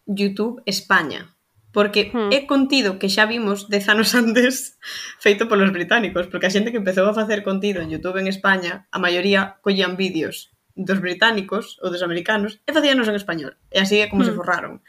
YouTube España. Porque hmm. é contido que xa vimos dez anos antes feito polos británicos, porque a xente que empezou a facer contido en YouTube en España, a maioría collían vídeos dos británicos ou dos americanos e facíanos en español. E así é como hmm. se forraron.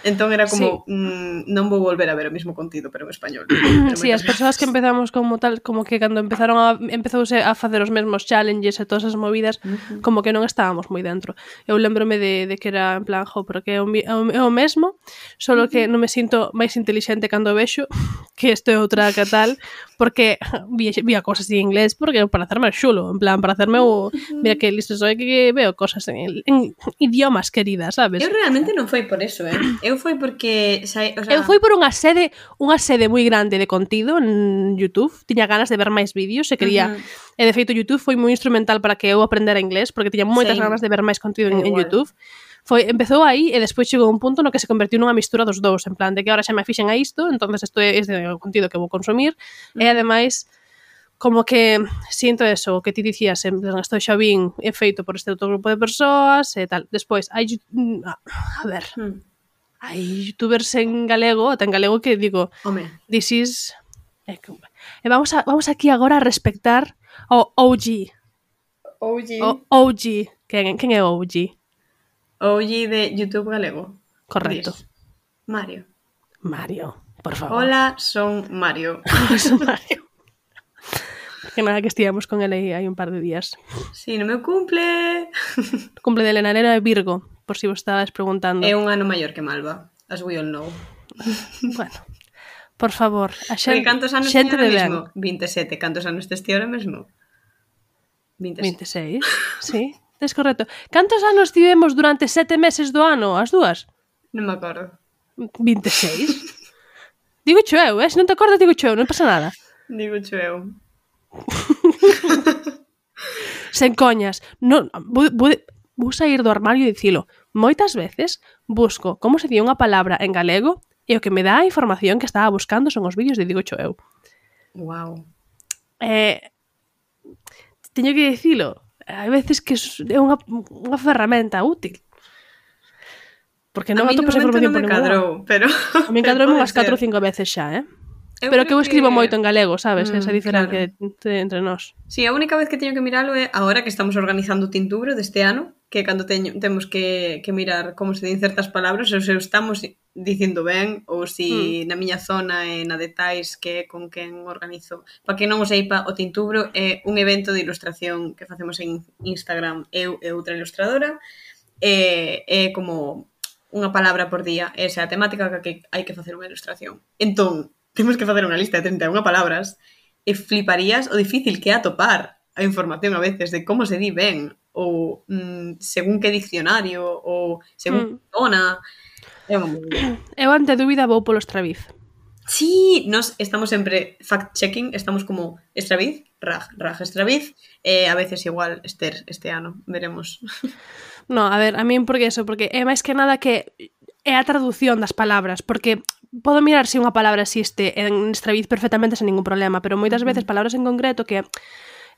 Entón era como, sí. mmm, non vou volver a ver o mesmo contido, pero en español. Pero sí, as persoas que empezamos como tal, como que cando empezaron a, empezouse a facer os mesmos challenges e todas as movidas, uh-huh. como que non estábamos moi dentro. Eu lembrome de, de que era en plan, jo, pero que é o, é o mesmo, solo uh-huh. que non me sinto máis intelixente cando vexo, que isto é outra que tal, porque vi, vi a cosas en inglés, porque para hacerme xulo, en plan, para hacerme o, mira que listo soy, que veo cosas en, en idiomas queridas, sabes? Eu realmente non foi por eso, eh. Eu foi porque... O sea... Eu foi por unha sede unha sede moi grande de contido en YouTube. Tiña ganas de ver máis vídeos e quería... Uh-huh. E de feito YouTube foi moi instrumental para que eu aprendera inglés, porque tiña moitas sí. ganas de ver máis contido en, en YouTube. Foi, empezou aí e despois chegou un punto no que se convertiu nunha mistura dos dous, en plan de que ahora xa me fixen a isto, entonces isto é este contido que vou consumir. Uh-huh. E ademais... como que sinto eso, que ti dicías, en plan, isto xa vin é feito por este outro grupo de persoas e tal. Despois, hai... A ver... Hmm. Hai youtubers en galego, ata en galego que digo, Home. this is E, e vamos, a, vamos aquí agora a respectar o O G. O G. O O G. Quen, quen é o O G? O G de YouTube galego. Correcto. Dis. Mario. Mario, por favor. Hola, son Mario. Son Mario. Que nada que estivemos con ele hai un par de días. Si, no me cumple. O cumple de Elena, Elena é Virgo, por si vos estabas preguntando. É un ano maior que Malva, as we all know. Bueno, por favor, a xente, Porque cantos anos xente teño de ahora ben. mesmo? veinte e sete. Cantos anos tes ti ahora mesmo? veinte e sete. vinte e seis, sí, tes correcto. Cantos anos tivemos durante sete meses do ano, as dúas? Non me acordo. vinte e seis? Digo cho eu, eh? Se non te acordas, digo cho eu, non pasa nada. Digo cho eu. Sen coñas. Non, vou, vou, vou sair do armario e dicilo. Moitas veces busco como se di unha palabra en galego e o que me dá a información que estaba buscando son os vídeos de Digo cho eu. Wow. Eh, teño que dicilo. Hai veces que é unha, unha ferramenta útil. Porque non atopo esa información por ningún lado. Pero... A mí encadroume unhas catro ou cinco veces xa, eh? Eu Pero que eu escribo que... moito en galego, sabes? Mm, Esa diferencia claro. entre nós. Sí, a única vez que teño que miralo é agora que estamos organizando o tintubro deste ano, que cando teño, temos que, que mirar como se din certas palabras, ou se estamos dicindo ben, ou se mm. na miña zona e na detais que é con quen organizo. Para que non o seipa, o tintubro é un evento de ilustración que facemos en Instagram, eu e outra ilustradora, e é como unha palabra por día, esa é a temática que hai que facer unha ilustración. Entón, temos que facer unha lista de trinta e unha palabras e fliparías o difícil que é atopar a información a veces de como se di ben ou mm, según que diccionario ou según que zona. É unha moi... Eu ante dúbida vou polo Estraviz. Sí, nos estamos sempre fact-checking, estamos como Estraviz, Raj, Raj Estraviz, e a veces igual Esther este ano, veremos. No, a ver, a min porque eso, porque é máis que nada que é a traducción das palabras, porque podo mirar se unha palabra existe en Estraviz perfectamente sen ningún problema, pero moitas uh-huh. veces palabras en concreto que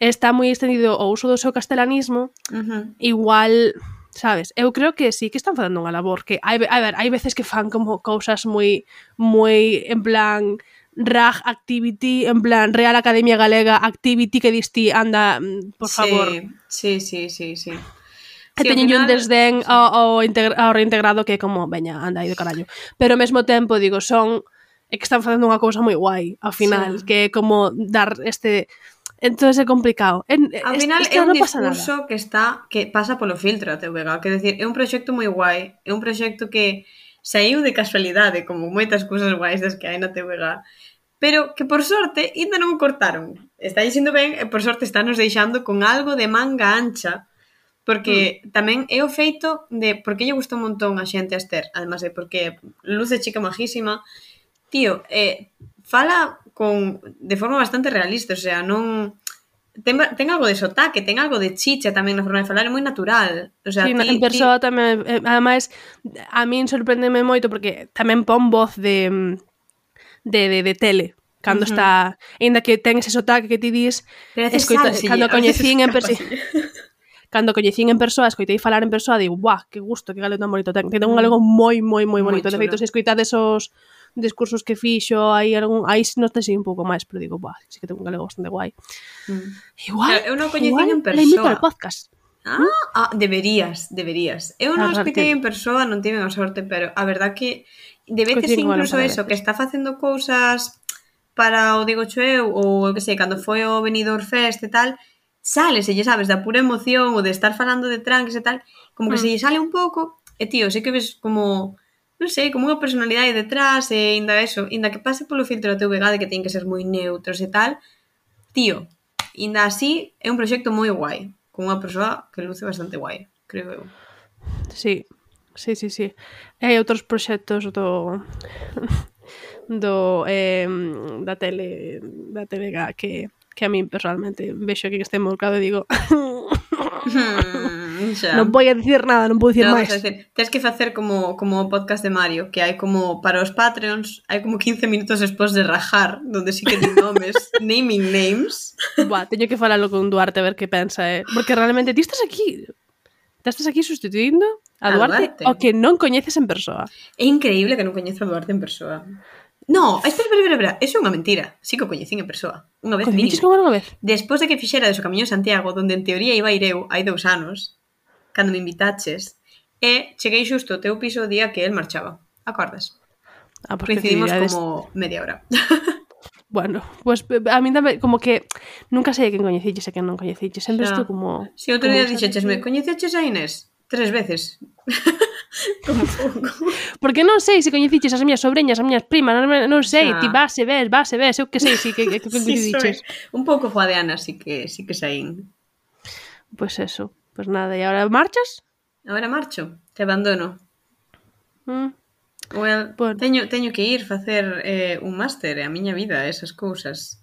está moi extendido o uso do seu castelanismo, uh-huh. igual, sabes, eu creo que sí que están facendo unha labor, que hai, a ver, hai veces que fan como cousas moi moi en plan Rag Activity, en plan Real Academia Galega Activity, que distí, anda, por favor. Sí, sí, sí, sí, sí. E sí, teñen final... un desdén ao, ao, integra- ao reintegrado que é como, veña, anda aí de carallo. Pero ao mesmo tempo, digo, son... É que están facendo unha cousa moi guai, ao final, sí. que é como dar este... Entonces é complicado. En, ao final é un discurso que está que pasa polo filtro a T V G, quer decir, é un proxecto moi guai, é un proxecto que saiu de casualidade, como moitas cousas guais das que hai na T V G, pero que por sorte ainda non o cortaron. Está dixendo ben e por sorte está nos deixando con algo de manga ancha. Porque mm. tamén é o feito de... Porque lle gusta un montón a xente a Esther, además de porque luce chica majísima. Tío, eh, fala con de forma bastante realista, o sea, non... Ten, ten algo de sotaque, ten algo de chicha tamén na forma de falar, é moi natural. O sea, sí, ti, en persoa ti... tamén... Eh, ademais, a min sorprendeme moito porque tamén pon voz de, de, de, de tele. Cando uh-huh. está... Ainda que ten ese sotaque que ti dis... Escoita, cando coñecín en persoa... Cando coñecín en persoa, escoitei falar en persoa, digo, buah, que gusto, que galego tan bonito ten. Ten un galego moi, moi, moi bonito. De feito, se escoitades os discursos que fixo, aí algún, aí non te sei un pouco máis, pero digo, buah, sí que ten un galego bastante guai. Mm. Igual, eu non coñecín en persoa. Le invito ao podcast. Ah, ¿Mm? ah, deberías, deberías. Eu non escoitei en persoa, non tive a sorte, pero a verdad que de veces incluso eso, que está facendo cousas para o Digo cho eu, ou eu que sei, cando foi o Benidorm Fest e tal, sale, se lle sabes, da pura emoción ou de estar falando de tranques e tal, como que mm. se lle sale un pouco, e tío, sei que ves como, non sei, como unha personalidade detrás, e ainda eso, ainda que pase polo filtro da T V G de que ten que ser moi neutros e tal, tío, ainda así é un proxecto moi guai, con unha persoa que luce bastante guai, creo eu. Sí, sí, sí, sí. Hai outros proxectos do... do eh, da tele, da T V G que... que a mí personalmente vexo que este mercado e digo hmm, non vou a dicir nada, non vou dicir no, máis. Tens que facer como como o podcast de Mario, que hai como para os Patreons, hai como quince minutos despois de rajar, donde sí que ten nomes, naming names. Buah, teño que falalo con Duarte a ver que pensa, eh? Porque realmente ti estás aquí, ti estás aquí sustituindo a, a Duarte, Duarte, o que non coñeces en persoa. É increíble que non coñeza a Duarte en persoa. No, espera, espera, espera, espera. Eso é unha mentira. Sí que o coñecín en persoa. Unha vez Coñeciches con unha vez? Despois de que fixera de o Camiño de Santiago, donde en teoría iba a ir eu hai dous anos, cando me invitaches, e cheguei xusto ao teu piso o día que el marchaba. Acordas? Ah, porque Coincidimos actividades... como media hora. Bueno, pues a mí tamén, como que nunca sei quen coñeciches e quen non coñeciches. Sempre estou como... Si, outro día como dixechesme, coñeceches a Inés? Tres veces. Como pouco. Porque non sei se coñeciches as miñas sobreñas, as miñas primas, non, non sei, Xa. ti vas e ves, vas e ves, eu que sei, si que, que coincidiches. Sí, un pouco coa de Ana, sí que, sí que saín. Pois pues eso, pois pues nada, e agora marchas? Agora marcho, te abandono. Mm. Well, Bueno. teño, teño que ir facer eh, un máster, a miña vida, esas cousas.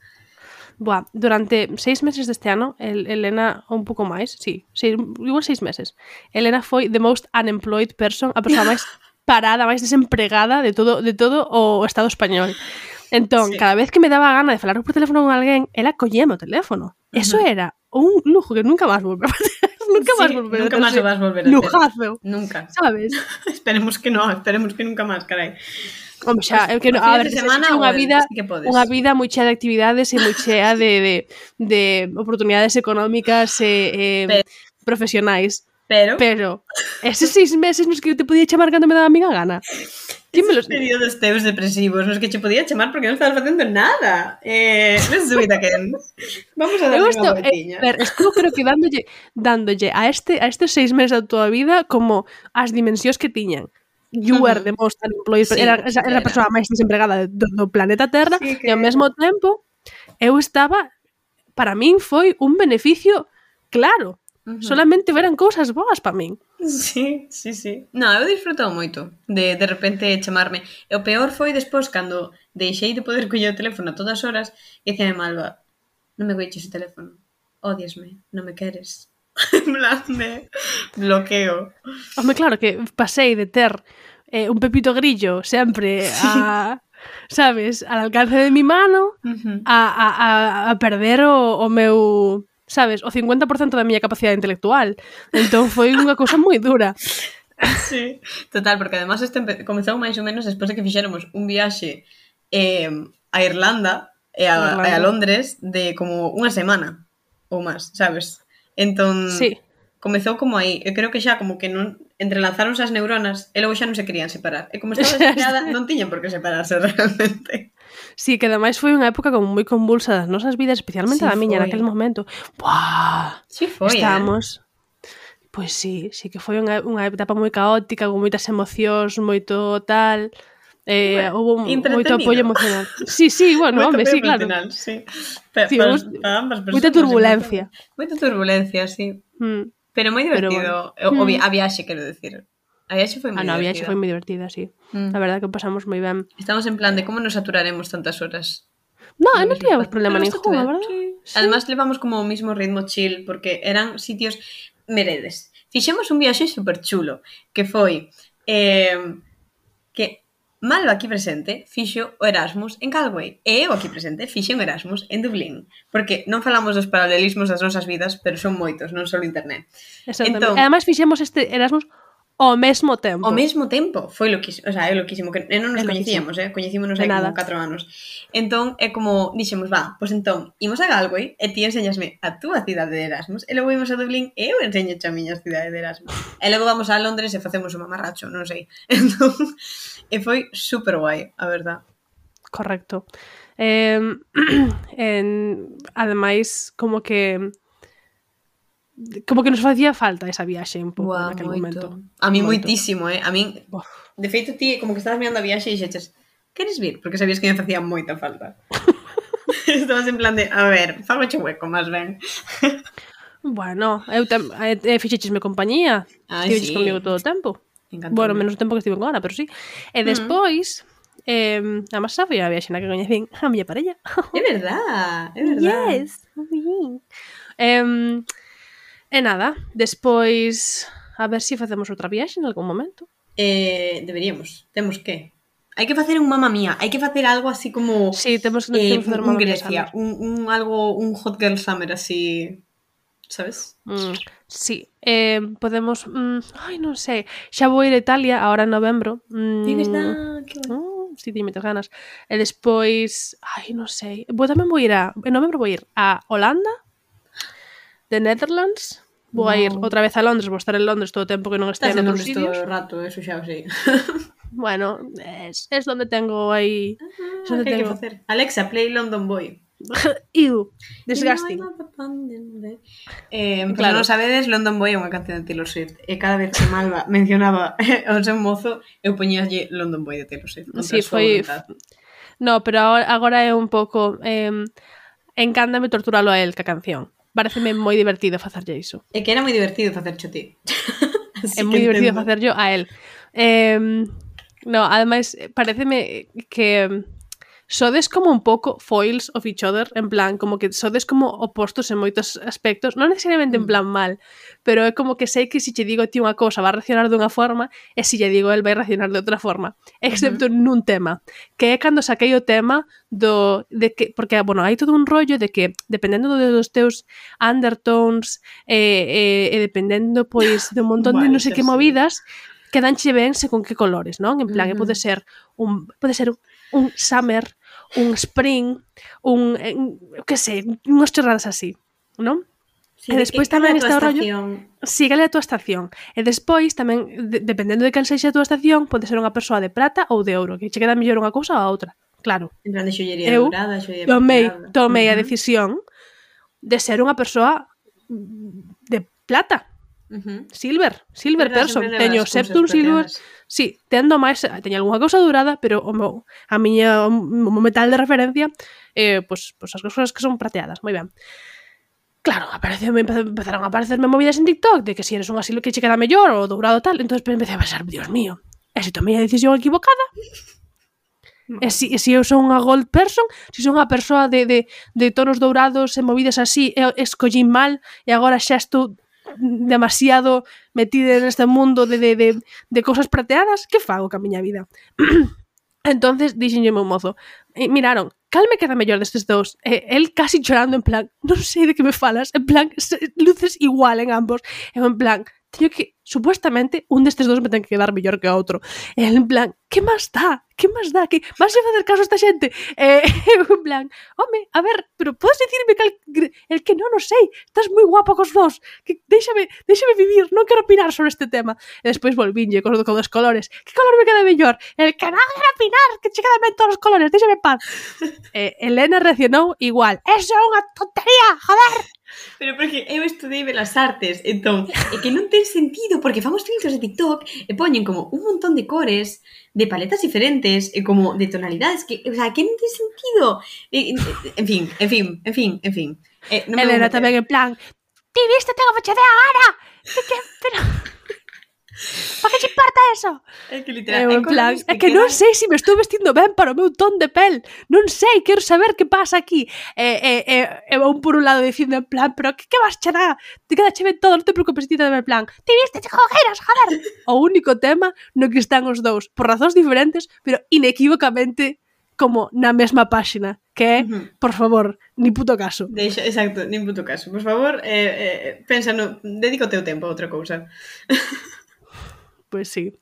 Buah, durante seis meses deste ano, el, Elena, un pouco máis, sí, seis, igual seis meses, Elena foi the most unemployed person, a persoa máis parada, máis desempregada de todo, de todo o Estado español. Entón, sí. Cada vez que me daba gana de falar por teléfono con alguén, ela colleme o teléfono. Uh-huh. Eso era un lujo que nunca máis volver a facer. Nunca sí, máis volver nunca máis o vas volver a ter. Lujazo. Nunca. Sabes? Esperemos que no, esperemos que nunca máis, carai. Home, xa, é que no, a ver, que semana, unha vida, sí unha vida moi chea de actividades e moi chea de, de, de oportunidades económicas e eh, profesionais. Pero, pero eses seis meses nos que eu te podía chamar cando me daba a miga gana. Esos períodos teus depresivos nos que che podía chamar porque non estabas facendo nada. Eh, non subida que vamos a darle unha voltiña. Eh, ver, estou creo que dándolle, dándolle a este a estes seis meses da tua vida como as dimensións que tiñan. You were the most unemployed, sí, era, era, era a persoa máis desempregada do, do planeta Terra, sí, que... e ao mesmo tempo eu estaba, para min foi un beneficio claro. Uh-huh. Solamente veran cousas boas para min. Sí, sí, sí. No, eu disfrutou moito de de repente chamarme. E o peor foi despois cando deixei de poder coller o teléfono a todas horas e diceme Malva, non me colleches o teléfono. Odiasme, non me queres. En plan de bloqueo. Home, claro que pasei de ter eh, un Pepito Grillo sempre a, sabes, al alcance de mi mano, uh-huh. a, a, a, a perder o, o meu, sabes, o cincuenta por ciento da miña capacidade intelectual. Entón foi unha cousa moi dura. Sí, total, porque además este comezou máis ou menos despois de que fixéramos un viaxe eh, a Irlanda e a, Irlanda. e a Londres de como unha semana ou máis, sabes? Entón, sí. Comezou como aí. Eu creo que xa como que non entrelazáronse as neuronas e logo xa non se querían separar. E como estaba desesperada, non tiñan por que separarse realmente. Sí, que ademais foi unha época como moi convulsa das nosas vidas, especialmente sí, da miña naquele momento. Buah! Sí foi, Estábamos... eh? Pois sí, sí que foi unha, unha etapa moi caótica, con moitas emocións, moito tal... Eh, bueno, houve moito apoio emocional. Sí, sí, bueno, home, sí, claro. Sí. Pero, sí, para, para ambas personas. Moita turbulencia. Moita turbulencia, sí. Mm. Pero moi divertido. Pero, bueno. o, a viaxe, quero decir. A viaxe foi moi ah, no, divertida. A viaxe foi moi divertida, sí. Mm. La verdad que pasamos moi ben. Estamos en plan de como nos saturaremos tantas horas. No, non, non tiñamos problema ningún, a verdad. Sí. Sí. Además, levamos como o mismo ritmo chill, porque eran sitios meredes. Fixemos un viaxe super chulo, que foi eh, que Malva aquí presente fixo o Erasmus en Galway e eu aquí presente fixe un Erasmus en Dublín, porque non falamos dos paralelismos das nosas vidas, pero son moitos, non só internet. Exactamente. Entón, e además fixemos este Erasmus ao mesmo tempo. Ao mesmo tempo, foi loquísimo, o sea, é loquísimo, que non nos coñecíamos, eh, coñecímonos hai como catro anos. Entón, é como, dixemos, va, pois entón, imos a Galway e ti enseñasme a túa cidade de Erasmus, e logo imos a Dublín e eu enseño a miña cidade de Erasmus. E logo vamos a Londres e facemos un mamarracho, non sei. Entón, e foi super guai, a verdad. Correcto. Eh, en, ademais, como que como que nos facía falta esa viaxe un pouco Buah, naquele moito. momento. A mí moito. Moitísimo, eh? A mí, de feito, ti como que estabas mirando a viaxe e dixeches, queres vir? Porque sabías que me facía moita falta. Estabas en plan de, a ver, fago che hueco, máis ben. Bueno, eu te, eh, fixechesme compañía. Estiveches sí. comigo todo o tempo. Encantó. Bueno, menos o tempo que estive con Ana, pero sí. E despois, uh-huh. eh, a máis xa foi a viaxe na que coñecín a miña parella. É verdad, é verdad. Yes, moi ben. Eh, E nada, despois a ver se si facemos outra viaxe en algún momento. Eh, deberíamos, temos que. Hai que facer un Mamma Mía, hai que facer algo así como sí, temos que eh, facer un Grecia, un, un algo, un Hot Girl Summer así, sabes? Mm, sí, eh, podemos, mm, ai, non sei, xa vou ir a Italia agora en novembro. Mm, é verdad, que mm, si teño moitas ganas. E despois, ai, non sei, vou tamén vou ir a, en novembro vou ir a Holanda, The Netherlands, vou a ir Wow. outra vez a Londres, vou estar en Londres todo o tempo que non Estás este en en outros Londres todo sitios. o rato, eso xa o sei. Bueno, es, es donde tengo aí... Ah, es donde que hai que tengo... facer? Alexa, play London Boy. Ew, disgusting. Eh, pois Claro. non sabedes, London Boy é unha canción de Taylor Swift e cada vez que Malva mencionaba ao seu mozo eu poñíalle London Boy de Taylor Swift contra Sí, a súa foi... voluntad. No, pero agora, agora é un pouco... Eh, encántame torturalo a él, ca canción. Pareceme moi divertido facerlle iso. É que era moi divertido facer cho ti. É moi divertido facerllo a él. Eh, no, ademais, pareceme que sodes como un pouco foils of each other, en plan, como que sodes como opostos en moitos aspectos, non necesariamente en plan mal, pero é como que sei que se che digo ti unha cousa va a reaccionar dunha forma e se lle digo el vai reaccionar de outra forma, excepto uh-huh. nun tema, que é cando saquei o tema do de que, porque, bueno, hai todo un rollo de que dependendo dos teus undertones e, e, e dependendo, pois, de un montón de non sei que movidas, quedanche ben según que colores, non? En plan, uh-huh. pode ser un pode ser un summer, un spring, un, que sei, unhas chorradas así, non? Sí, e despois tamén está o rollo... Sí, cal é a tua estación. E despois tamén, de, dependendo de cal sexa a tua estación, pode ser unha persoa de prata ou de ouro, que che queda mellor unha cousa ou a outra. Claro. En plan de xollería eu dourada, xollería tomei, plateada. tomei uh-huh. a Uh-huh. decisión de ser unha persoa de plata. Uh-huh. Silver, silver Verdad, person. sempre Teño levas septum cousas silver. plateadas. Sí, tendo máis, teño algunha cousa dourada, pero o meu, a miña o metal de referencia eh, pues, pues as cousas que son prateadas, moi ben. Claro, apareceu, empezaron a aparecerme movidas en TikTok de que si eres unha silver que che queda mellor ou dourado tal, entonces empecé a pensar, Dios mío, e se tomei a decisión equivocada? E si, e si eu son unha gold person, se si son unha persoa de, de, de tonos dourados e movidas así, e escollín mal e agora xa estou demasiado metida neste mundo de, de, de, de cousas prateadas, que fago ca miña vida? Entonces dixenlle meu mozo, e miraron, cal me queda mellor destes dous? E el casi chorando en plan, non sei de que me falas, en plan, luces igual en ambos, e en plan, teño que, supuestamente, un destes dous me ten que quedar mellor que o outro. E en plan, que máis dá? Que máis dá? Que vas a facer caso a esta xente? E en plan, home, a ver, pero podes dicirme cal, el que non o sei, estás moi guapo cos dous, que déxame, déxame vivir, non quero opinar sobre este tema. E despois volvinlle con, con dos colores. Que color me queda mellor? El que non quero opinar, que che quedan ben todos os colores, déxame paz. E Elena reaccionou igual, eso é unha tontería, joder! Pero porque eu estudei Belas Artes, entón, é que non ten sentido, porque famos filtros de TikTok e poñen como un montón de cores, de paletas diferentes, e como de tonalidades, que, o sea, que non ten sentido. E, en fin, en fin, en fin, en fin. Eh, non Elena tamén en plan, ti viste, tengo fecha de agora! Que, que, pero... ¿Para que te importa eso? É que literal, en plan, que é que quedan... non sei se me estou vestindo ben para o meu ton de pel. Non sei, quero saber que pasa aquí. E, e, e, e un por un lado dicindo en plan, pero que, que vas che dar? Te queda che ben todo, non te preocupes, ti en plan, ti viste che cogueiras, joder. O único tema no que están os dous, por razóns diferentes, pero inequívocamente como na mesma páxina, que é, uh-huh. por favor, ni puto caso. Deixa, exacto, ni puto caso. Por favor, eh, eh, pensa no, dedica o teu tempo a outra cousa. Pois sí.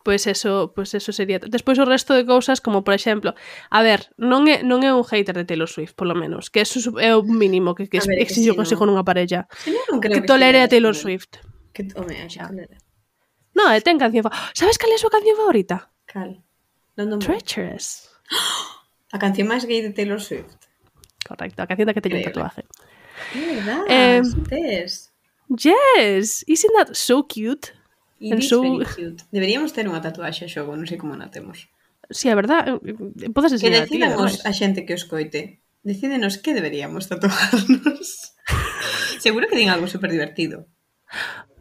Pois eso, pois eso sería. Despois o resto de cousas, como por exemplo, a ver, non é non é un hater de Taylor Swift, polo menos, que eso é o mínimo que que exijo sí, consigo nunha parella. Sí, non creo que, que tolere a Taylor Swift. Que home, xa tolera. No, é ten canción. Sabes cal é a súa canción favorita? Cal? London Treacherous. A canción máis gay de Taylor Swift. Correcto, a canción da que teño un tatuaje. É verdade, eh, sí tes. Yes, isn't that so cute? It is so... very cute. Deberíamos ter unha tatuaxe a xogo, non sei como na temos. Si, sí, a verdade, podes enseñar a ti. Que decidamos a xente que os coite. Decídenos que deberíamos tatuarnos. Seguro que din algo super divertido.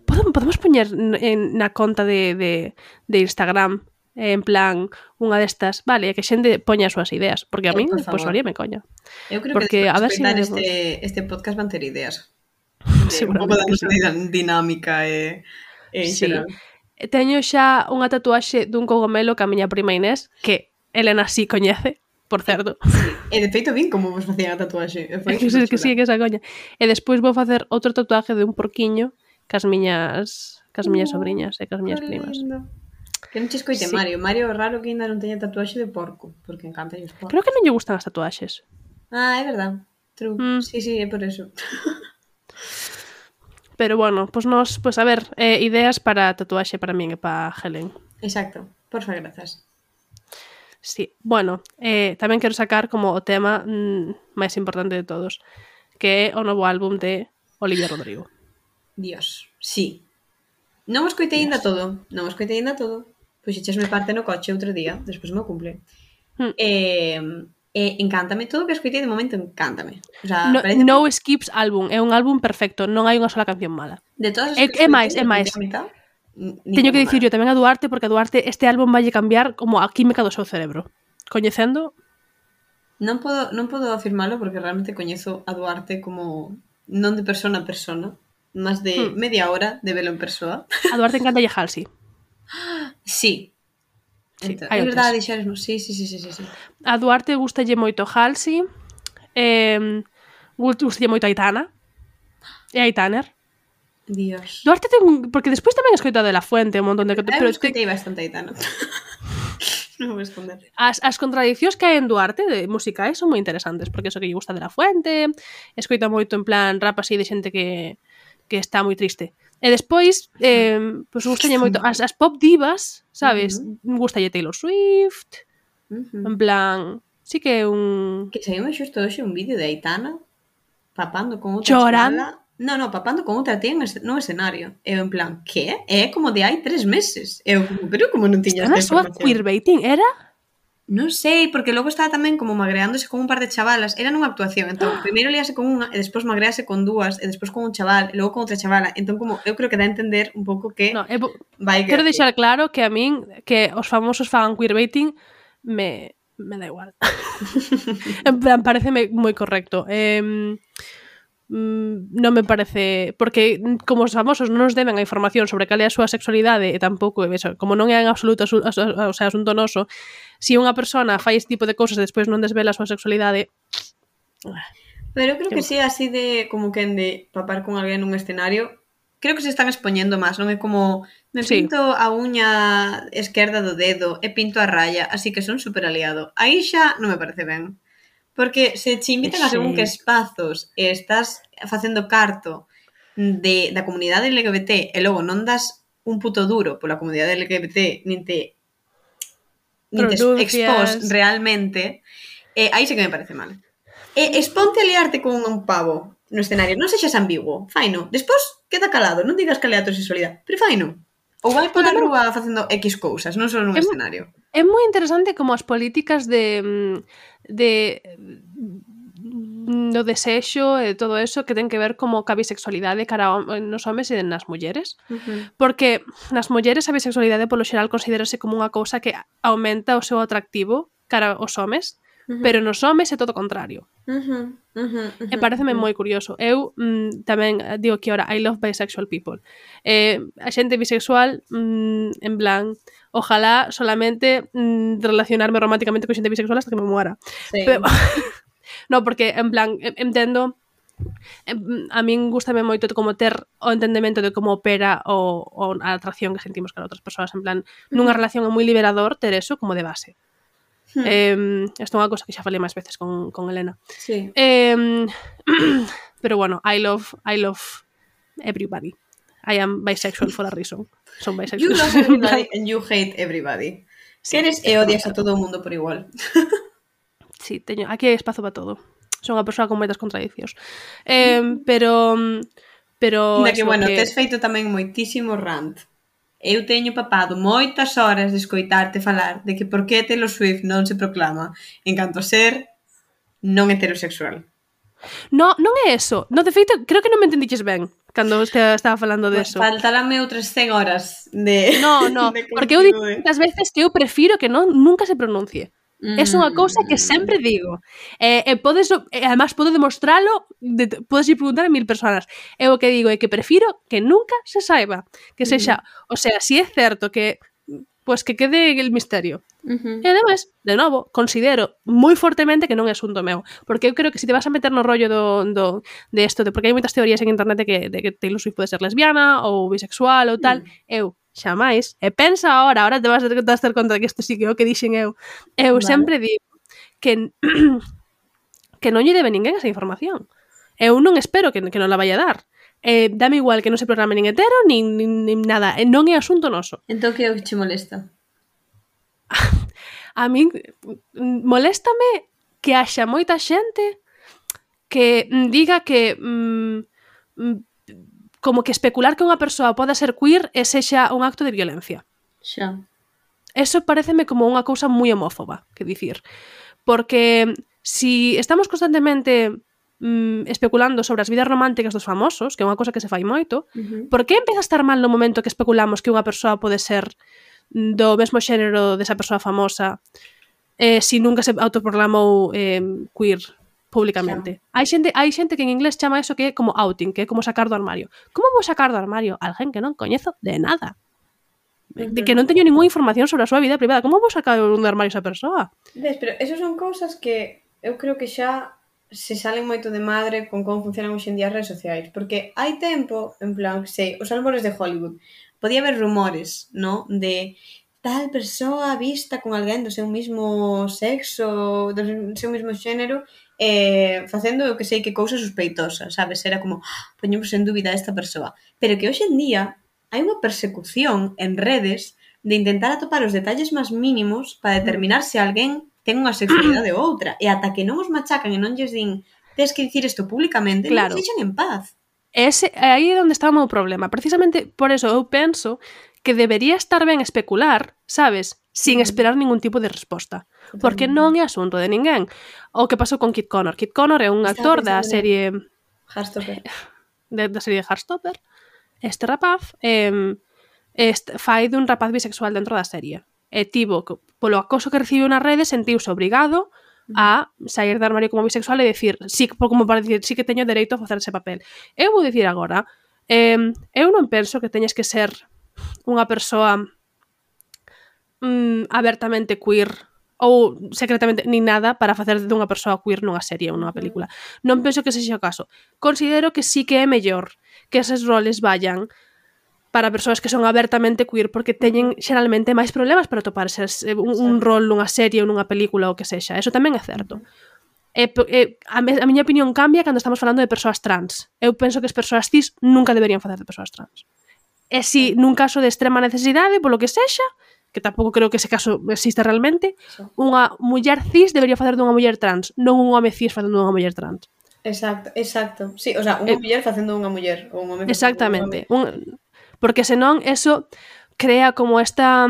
Podemos, podemos poñer en, na conta de, de, de Instagram, en plan, unha destas, vale, que xente poña as súas ideas, porque a mí, pois, pues, haríame coña. Eu creo porque, que a ver si este, este podcast van ter ideas. Un pouco da nosa dinámica e... Eh, sí. Teño xa unha tatuaxe dun cogomelo que a miña prima Inés, que Elena sí coñece, por certo. Sí. E de feito vin como vos facían a tatuaxe. É que, que sí, que esa coña. E despois vou facer outro tatuaje de un porquiño cas miñas cas miñas oh, sobriñas e cas miñas primas. Que non che escoite Sí. Mario. Mario é raro que ainda non teña tatuaxe de porco, porque encanta os porcos. Creo que non lle gustan as tatuaxes. Ah, é verdad. True. Mm. Sí, sí, é por eso. Pero bueno, pues nos, pues a ver, eh, ideas para tatuaxe para min e para Helen. Exacto. Porfa, grazas. Sí, bueno, eh, tamén quero sacar como o tema mm, máis importante de todos, que é o novo álbum de Olivia Rodrigo. Dios, sí. Non o escoitei ainda Dios. todo. Non o escoitei ainda todo. Pois echesme parte no coche outro día, despois me cumple. Hmm. Eh, eh, encántame todo o que escoitei de momento, encántame. O sea, No, parece no skips álbum, é un álbum perfecto, non hai unha sola canción mala. de todas as É, que é máis, é escoitei, máis. a mitad, Teño que dicir yo tamén a Duarte, porque a Duarte este álbum vai cambiar como a química do seu cerebro. Coñecendo, Non podo, non podo afirmalo porque realmente coñezo a Duarte como non de persona a persona, máis de Hmm. media hora de velo en persoa. a Duarte encanta lle Halsey. Sí. Sí, Entón, hai é verdade, outras. dixeresmo. Sí, sí, sí, sí, sí, sí. A Duarte gustalle moito Halsey, eh, gustalle moito Aitana, e Aitaner. Dios. Duarte ten un... Porque despois tamén escoito a De La Fuente, un montón de... Eu Pero te, escoitei bastante Aitana. Non vou esconder. as, as contradicións que hai en Duarte de musicais son moi interesantes, porque eso que lle gusta De La Fuente, escoita moito en plan rap así de xente que, que está moi triste. E despois, eh, pois gustalle moito as, as pop divas, sabes? Uh-huh. Gustalle Taylor Swift, Uh-huh. en plan, sí que é un... Que saíme xusto hoxe un vídeo de Aitana papando con outra Chorando. chavala. No, no, papando con outra tía no escenario. Eu en plan, que? É como de hai tres meses. Eu como, pero como non tiñas Está na esta súa información? queerbaiting, era? Non sei, porque logo estaba tamén como magreándose con un par de chavalas. Era nunha actuación, entón, primeiro liase con unha, e despois magrease con dúas, e despois con un chaval, e logo con outra chavala. Entón, como, eu creo que dá a entender un pouco que No, é, bo- vai quero que... deixar claro que a min, que os famosos fagan queerbaiting, me, me da igual. En plan, pareceme moi correcto. Eh, non me parece... Porque como os famosos non nos deben a información sobre cal é a súa sexualidade e tampouco, eso, como non é en absoluto asu, asu, o sea, asunto noso, se si unha persona fai este tipo de cousas e despois non desvela a súa sexualidade... Pero eu creo Que que si é así de como quen de papar con alguén nun escenario, creo que se están expoñendo máis, non é como me Sí. pinto a uña esquerda do dedo e pinto a raya, así que son super aliado. Aí xa non me parece ben. Porque se te invitan a según que espazos e estás facendo carto de, da comunidade L G B T e logo non das un puto duro pola comunidade L G B T nin te, nin te expós realmente, eh, aí sí que me parece mal. E exponte a liarte con un pavo no escenario, non sexas ambiguo, faino. Despois queda calado, non digas cal é a tua sexualidade, pero faino. Ou vai pola rúa facendo X cousas, non só nun É- escenario. É moi interesante como as políticas de de do desexo e todo eso que ten que ver como ca bisexualidade cara a, nos homes e nas mulleres. Uh-huh. Porque nas mulleres a bisexualidade polo xeral considerase como unha cousa que aumenta o seu atractivo cara aos homes, Uh-huh. pero nos homes é todo o contrario. Uh-huh. Uh-huh. E pareceme moi curioso. Eu mm, tamén digo que ahora I love bisexual people. Eh, a xente bisexual, mm, en plan, ojalá solamente mm, relacionarme románticamente con xente bisexual hasta que me muera. Sí. Pero, no, porque en plan, entendo, a min gustame moito como ter o entendemento de como opera o, o a atracción que sentimos cara a outras persoas. En plan, nunha relación é moi liberador ter eso como de base. Hmm. Eh, isto é unha cosa que xa falei máis veces con, con Elena. Sí. Eh, pero bueno, I love I love everybody. I am bisexual for a reason. Son bisexual. You love everybody and you hate everybody. Sí, Eres e odias a todo o mundo por igual. Sí, teño, aquí hai espazo para todo. Son unha persoa con moitas contradicións. Eh, pero pero Da que, eso, bueno, que... tes feito tamén moitísimo rant. Eu teño papado moitas horas de escoitarte falar de que por que Taylor Swift non se proclama en canto a ser non heterosexual. No, non é eso. No, de feito, creo que non me entendiches ben cando este, estaba falando de Pues eso. faltarame outras cen horas de No, no, de porque eu digo contigo, moitas veces que eu prefiro que non nunca se pronuncie. É unha cousa que sempre digo. E, e podes, e además podo demostralo, de, podes ir preguntar a mil personas. E o que digo é que prefiro que nunca se saiba. Que sexa, o sea, si é certo que pues que quede el misterio. Uh-huh. E además, de novo, considero moi fortemente que non é asunto meu, porque eu creo que se te vas a meter no rollo do, do de isto, de, porque hai moitas teorías en internet de que, de que Taylor Swift pode ser lesbiana ou bisexual ou tal, mm. eu xamais, e pensa ahora, ahora te vas a dar conta que isto sí que é o que dixen eu, eu vale. sempre digo que que non lle debe ninguén esa información. Eu non espero que, que non la vaya a dar. Eh, dame igual que non se programe nin hetero, nin, nin, nin nada. Eh, non é asunto noso. Entón que é o que che molesta? A min moléstame que haxa moita xente que diga que mm, como que especular que unha persoa poda ser queer e sexa un acto de violencia. Xa. Eso pareceme como unha cousa moi homófoba, que dicir. Porque si estamos constantemente mm, especulando sobre as vidas románticas dos famosos, que é unha cousa que se fai moito, uh-huh. por que empeza a estar mal no momento que especulamos que unha persoa pode ser do mesmo xénero desa persoa famosa eh, si nunca se autoproclamou eh, queer públicamente? Hai xente, hai xente que en inglés chama eso que é como outing, que é como sacar do armario. Como vou sacar do armario alguén que non coñezo de nada? De que non teño ninguna información sobre a súa vida privada. Como vou sacar do armario esa persoa? Ves, pero esos son cousas que eu creo que xa se salen moito de madre con como funcionan hoxe en día as redes sociais, porque hai tempo, en plan, sei, os álbores de Hollywood, podía haber rumores, ¿no? De tal persoa vista con alguén do seu mismo sexo, do seu mismo xénero, eh, facendo o que sei que cousa sospeitosa, sabes? Era como, ah, poñemos en dúbida a esta persoa. Pero que hoxe en día hai unha persecución en redes de intentar atopar os detalles máis mínimos para determinar se alguén ten unha sexualidade ou outra. E ata que non os machacan e non lles din tens que dicir isto públicamente, claro. Non os deixan en paz. Ese, aí é onde está o meu problema. Precisamente por eso eu penso que debería estar ben especular, sabes? Sin esperar ningún tipo de resposta. Totalmente. Porque non é asunto de ninguén. O que pasou con Kit Connor. Kit Connor é un Está actor da serie... Heartstopper. De, da serie de Heartstopper. Este rapaz eh, este, fai dun rapaz bisexual dentro da serie. E tivo, polo acoso que recibiu nas redes, sentiuse obrigado a sair do armario como bisexual e dicir, sí, como para dicir, sí que teño dereito a facer ese papel. Eu vou dicir agora, eh, eu non penso que teñes que ser unha persoa mm, abertamente queer ou secretamente nin nada para facer de unha persoa queer nunha serie ou nunha película. Non penso que sexa o caso. Considero que sí que é mellor que eses roles vayan para persoas que son abertamente queer, porque teñen xeralmente máis problemas para toparse un, un rol nunha serie ou nunha película ou que sexa. Eso tamén é certo. E, e, a, me, a miña opinión cambia cando estamos falando de persoas trans. Eu penso que as persoas cis nunca deberían facer de persoas trans. E si nun caso de extrema necesidade, polo que sexa, que tampouco creo que ese caso exista realmente, unha muller cis debería facer dunha muller trans, non un home cis facendo dunha muller trans. Exacto, exacto. Sí, o sea, unha eh, muller facendo unha muller ou un home facendo exactamente. Un, porque senón eso crea como esta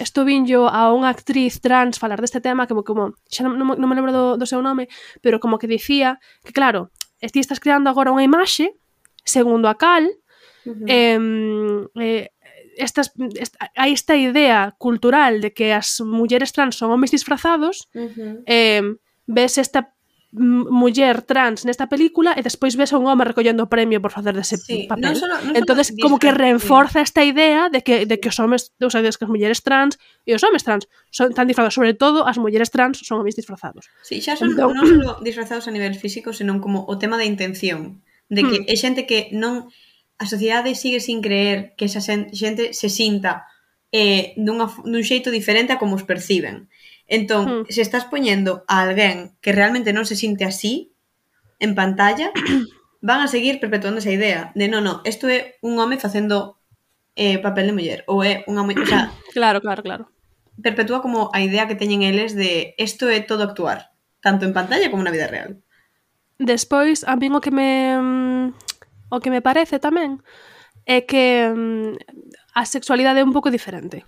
isto vinllo a unha actriz trans falar deste tema como, como xa non, non, non me lembro do, do seu nome, pero como que dicía que claro, ti estás creando agora unha imaxe segundo a cal uh-huh. eh, eh, estas, esta, hai esta idea cultural de que as mulleres trans son homes disfrazados uh-huh. eh, ves esta muller trans nesta película e despois ves a un home recollendo o premio por facer dese sí, papel. Non solo, non entonces como que reforza esta idea de que, de que os homes, o sea, de que as mulleres trans e os homes trans son tan disfrazados, sobre todo as mulleres trans son homes disfrazados. Sí, xa son entón, non solo disfrazados a nivel físico, senón como o tema da intención, de que hmm. é xente que non a sociedade sigue sin creer que esa xente se sinta eh, dunha, dun xeito diferente a como os perciben. Entón, hmm. se estás poñendo a alguén que realmente non se sinte así en pantalla, van a seguir perpetuando esa idea de, no, no, isto é un home facendo eh, papel de muller, ou é unha muller, o sea, claro, claro, claro. Perpetúa como a idea que teñen eles de isto é todo actuar, tanto en pantalla como na vida real. Despois, a min o que me o que me parece tamén é que a sexualidade é un pouco diferente.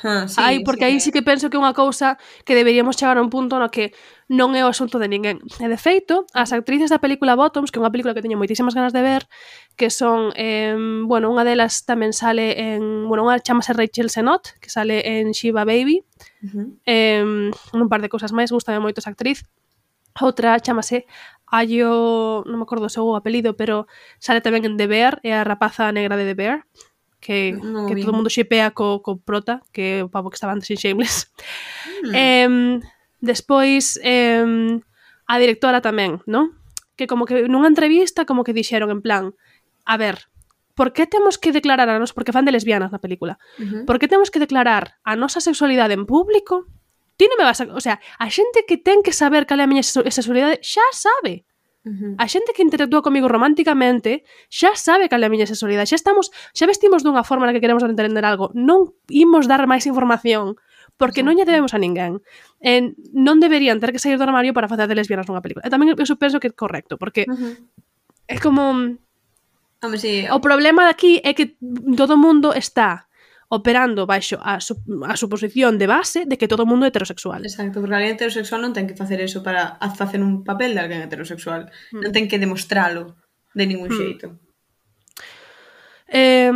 Ah, sí, aí, porque sí, aí sí que penso que é unha cousa que deberíamos chegar a un punto no que non é o asunto de ninguén. E de feito, as actrices da película Bottoms, que é unha película que teño moitísimas ganas de ver, que son, eh, bueno, unha delas tamén sale en, bueno, unha chamase Rachel Sennott, que sale en Shiva Baby, uh-huh. eh, un par de cousas máis, gustame moito esa actriz. Outra chamase Ayo, non me acordo o seu apelido, pero sale tamén en The Bear, é a rapaza negra de The Bear, que, no, que todo o mundo xipea co, co prota, que o pavo que estaba antes en Shameless. Mm. Eh, despois, eh, a directora tamén, non? Que como que nunha entrevista como que dixeron en plan, a ver, por que temos que declarar a nos, porque fan de lesbianas na película, uh-huh. por que temos que declarar a nosa sexualidade en público? Ti non me vas a... O sea, a xente que ten que saber cal é a miña sexualidade xa sabe. Uh-huh. A xente que interactúa comigo románticamente xa sabe cal é a miña sexualidade. Xa estamos, xa vestimos dunha forma na que queremos entender algo. Non imos dar máis información porque non lle debemos a ninguén. Eh, non deberían ter que sair do armario para facer de lesbianas nunha película. E tamén eu penso que é correcto, porque uh-huh. é como... Hombre, sí. O problema de aquí é que todo o mundo está operando baixo a, su, a suposición de base de que todo o mundo é heterosexual. Exacto, porque alguén heterosexual non ten que facer eso para facer un papel de alguén heterosexual. Mm. Non ten que demostralo de ningún mm. xeito. Eh,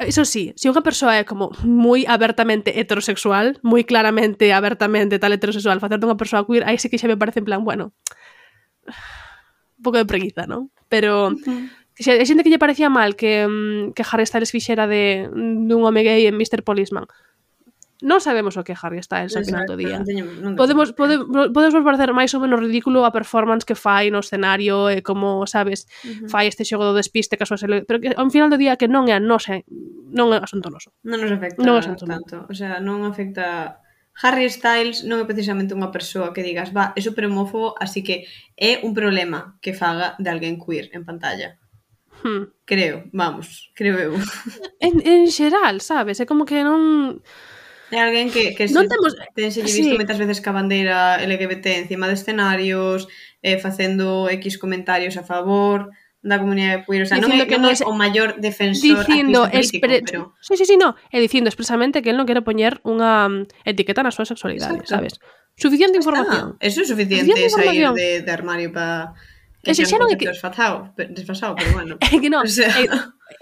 eso sí, se unha persoa é como moi abertamente heterosexual, moi claramente, abertamente tal heterosexual, facer de unha persoa queer, aí sí que xa me parece en plan, bueno, un pouco de preguiza, non? Pero... Uh-huh. Hai xente que lle parecía mal que, que Harry Styles fixera de dun home gay en mister Policeman. Non sabemos o que é Harry Styles ao final do día. Non teño, non podemos, pode, podemos parecer máis ou menos ridículo a performance que fai no escenario e como, sabes, uh-huh. fai este xogo do despiste que a súa sele... pero que ao final do día que non é a nosa, non é asunto noso. Non nos afecta non tanto. O sea, non afecta... Harry Styles non é precisamente unha persoa que digas, va, é super homófobo, así que é un problema que faga de alguén queer en pantalla. Hmm. Creo, vamos, creo eu. En, en xeral, sabes? É como que non... É alguén que, que non se, temos... tense visto sí. moitas veces ca bandeira L G B T encima de escenarios, eh, facendo X comentarios a favor da comunidade queer. O sea, dicindo non é, que non é o maior defensor dicindo político, expre... pero... Sí, sí, sí, no. É dicindo expresamente que él non quere poñer unha etiqueta na súa sexualidade, exacto. Sabes? Suficiente información. Ah, eso é suficiente, suficiente sair de, de armario para... Que xa, xa non é que... desfasado, desfasado, pero bueno. É que non, o sea... é,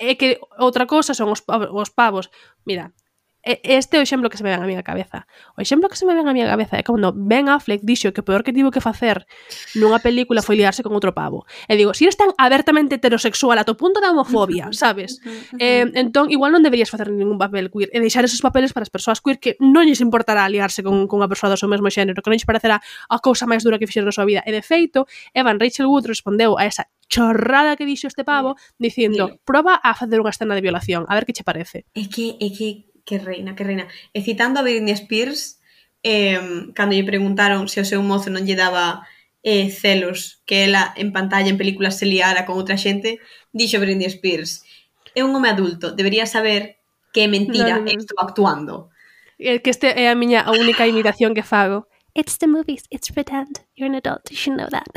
é que outra cosa son os, os pavos. Mira, este é o exemplo que se me ven a miña cabeza. O exemplo que se me ven a miña cabeza é cando Ben Affleck dixo que o peor que tivo que facer nunha película foi liarse con outro pavo. E digo, se si eres tan abertamente heterosexual a to punto da homofobia, sabes? eh, entón, igual non deberías facer ningún papel queer e deixar esos papeles para as persoas queer que non lles importará liarse con, con unha persoa do seu mesmo xénero, que non lles parecerá a cousa máis dura que fixeron na súa vida. E de feito, Evan Rachel Wood respondeu a esa chorrada que dixo este pavo dicindo, proba a facer unha escena de violación, a ver que che parece. É que, é que que reina, que reina. E citando a Britney Spears, eh, cando lle preguntaron se o seu mozo non lle daba eh, celos que ela en pantalla, en películas, se liara con outra xente, dixo Britney Spears, é un home adulto, debería saber que é mentira no, no, no. estou actuando. É que este é a miña a única imitación que fago. It's the movies, it's pretend. You're an adult, you should know that.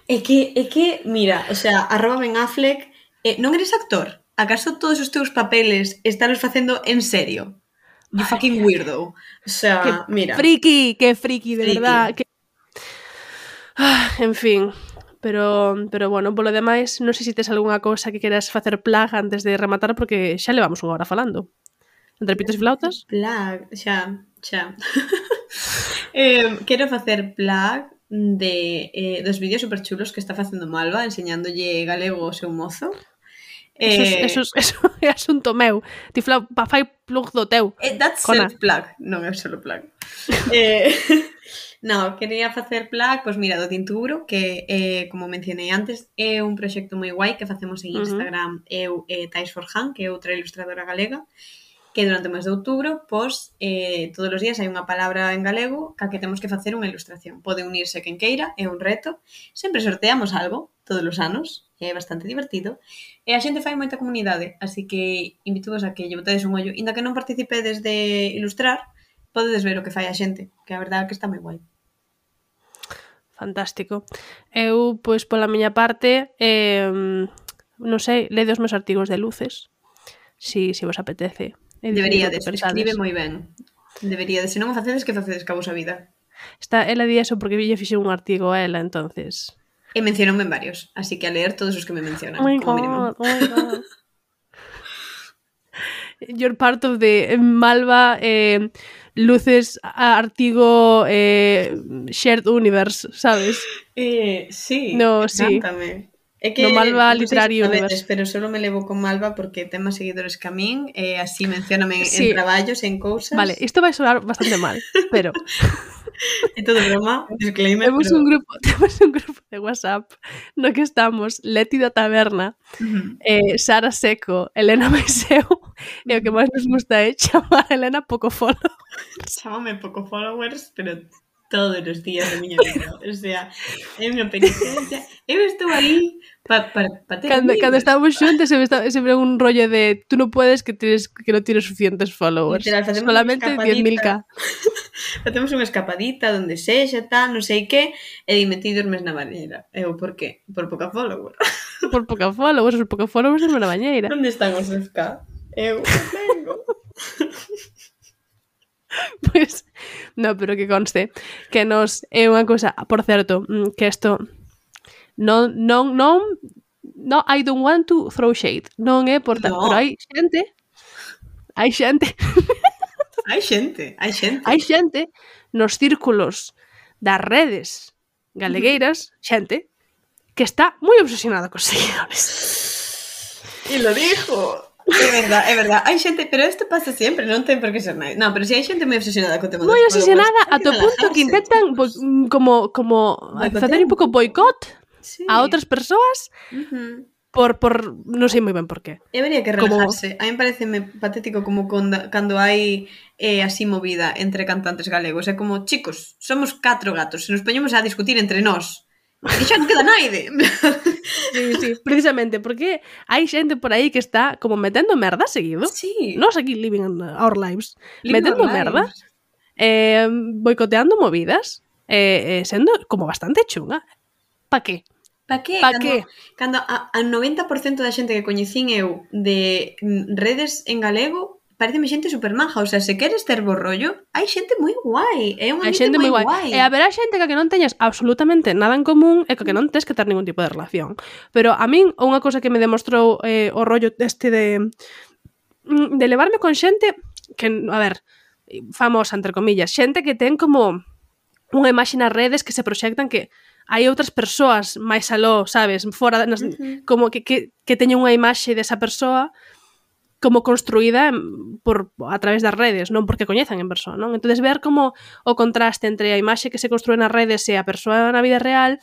É que, é que, mira, o sea, arroba Ben Affleck, eh, non eres actor? Acaso todos os teus papeles estálos facendo en serio? You fucking weirdo. O sea, que mira. Friki, que friki, de friki. Verdad. Que... Ah, en fin. Pero, pero bueno, polo demais, non sei se tes algunha cousa que queras facer plag antes de rematar, porque xa levamos unha hora falando. Entre pitos e flautas? Plag, xa, xa. eh, quero facer plag de eh, dos vídeos super chulos que está facendo Malva, enseñándolle galego ao seu mozo. Eso, eh, eso, eso é asunto meu. Ti fla, fai plug do teu. Eh, that's self-plug, non é solo plug. eh, no, quería facer plug, pois mira, do Tinturo, que, eh, como mencionei antes, é un proxecto moi guai que facemos en Instagram, uh-huh. eu e eh, Tais Forjan, que é outra ilustradora galega, que durante o mes de outubro, pois, eh, todos os días hai unha palabra en galego ca que temos que facer unha ilustración. Pode unirse quen queira, é un reto. Sempre sorteamos algo, todos os anos, é bastante divertido. E a xente fai moita comunidade, así que invito-vos a que lle botedes un ollo. Inda que non participedes de ilustrar, podedes ver o que fai a xente, que a verdade é que está moi guai. Fantástico. Eu, pois, pola miña parte, eh, non sei, lede os meus artigos de luces, si, si vos apetece. Deberíades, escribe moi ben. Deberíades, se non o facedes, que facedes ca vosa vida? Está, ela di eso porque lle fixe un artigo a ela, entonces... E mencionoume en varios, así que a leer todos os que me mencionan, oh como God, mínimo. Oh my God. You're part of the Malva eh, luces artigo eh, shared universe, sabes? Eh, sí, no, cántame. Sí. É que no Malva non sei Literario se sabedes, Universe. pero solo me levo con Malva porque ten máis seguidores que a min, e así mencióname Sí. en traballos, en cousas. Vale, isto vai sonar bastante mal, pero É todo broma, disclaimer, temos pero... un grupo, temos un grupo de WhatsApp no que estamos Leti da Taberna, Uh-huh. eh, Sara Seco, Elena Maiseu, e o que máis nos gusta é chamar a Elena pouco follow. Chámame pouco followers, pero todos os días da miña vida. O sea, é unha penitencia. Eu estou aí para pa, pa ter Cando, amigos. cando estamos xuntos sempre, está, sempre un rollo de tú no puedes que tienes que no tienes suficientes followers. Literal, facemos Solamente unha diez mil escapadita. k. Facemos unha escapadita donde sexa, tal, non sei que, e dime ti dormes na bañeira. Eu, por qué? Por pouca follower. Por pouca followers, por pouca followers na bañeira. Onde están os F K? Eu vengo. Pois, no, pero que conste que nos é unha cousa, por certo, que isto non, non, non, no, I don't want to throw shade, non é por tal, No. pero hai xente, hai xente, Hai xente, hai xente. hai xente nos círculos das redes galegueiras, xente, que está moi obsesionada cos seguidores. E lo dijo. É verdad, é verdad. Hai xente, pero isto pasa sempre, non ten por que ser nada. Non, pero si hai xente moi obsesionada co tema dos Moi followers, obsesionada hai ata o punto que relajarse. intentan bo- como como Boicotear facer un un pouco pouco. boicot Sí. a outras persoas Uh-huh. por por non sei moi ben por qué. Debería que Como- relajarse. A mí pareceme patético como conda, cando hai eh, así movida entre cantantes galegos. É como, chicos, somos catro gatos, se nos poñemos a discutir entre nós, e xa non queda naide. Sí, sí, precisamente porque hai xente por aí que está como metendo merda seguido. Sí. Nos aquí living our lives, Living metendo our merda, lives. eh, boicoteando movidas, eh, eh, sendo como bastante chunga. Pa qué? Pa que? Pa cando, que? Cando a, a noventa por cento da xente que coñecín eu de mm, redes en galego pareceme xente super maja, o sea, se queres ter bo rollo, hai xente moi guai, é un Hai ambiente xente moi moi guai. guai. E haberá xente que que non teñas absolutamente nada en común e que que non tes que ter ningún tipo de relación. Pero a min unha cousa que me demostrou eh, o rollo este de de levarme con xente que, a ver, famosa, entre comillas, xente que ten como unha imaxe nas redes que se proxectan que hai outras persoas máis aló, sabes, fora nas, Uh-huh. como que, que, que teñen unha imaxe desa persoa como construída por a través das redes, non porque coñezan en persoa, non? Entonces ver como o contraste entre a imaxe que se construe nas redes e a persoa na vida real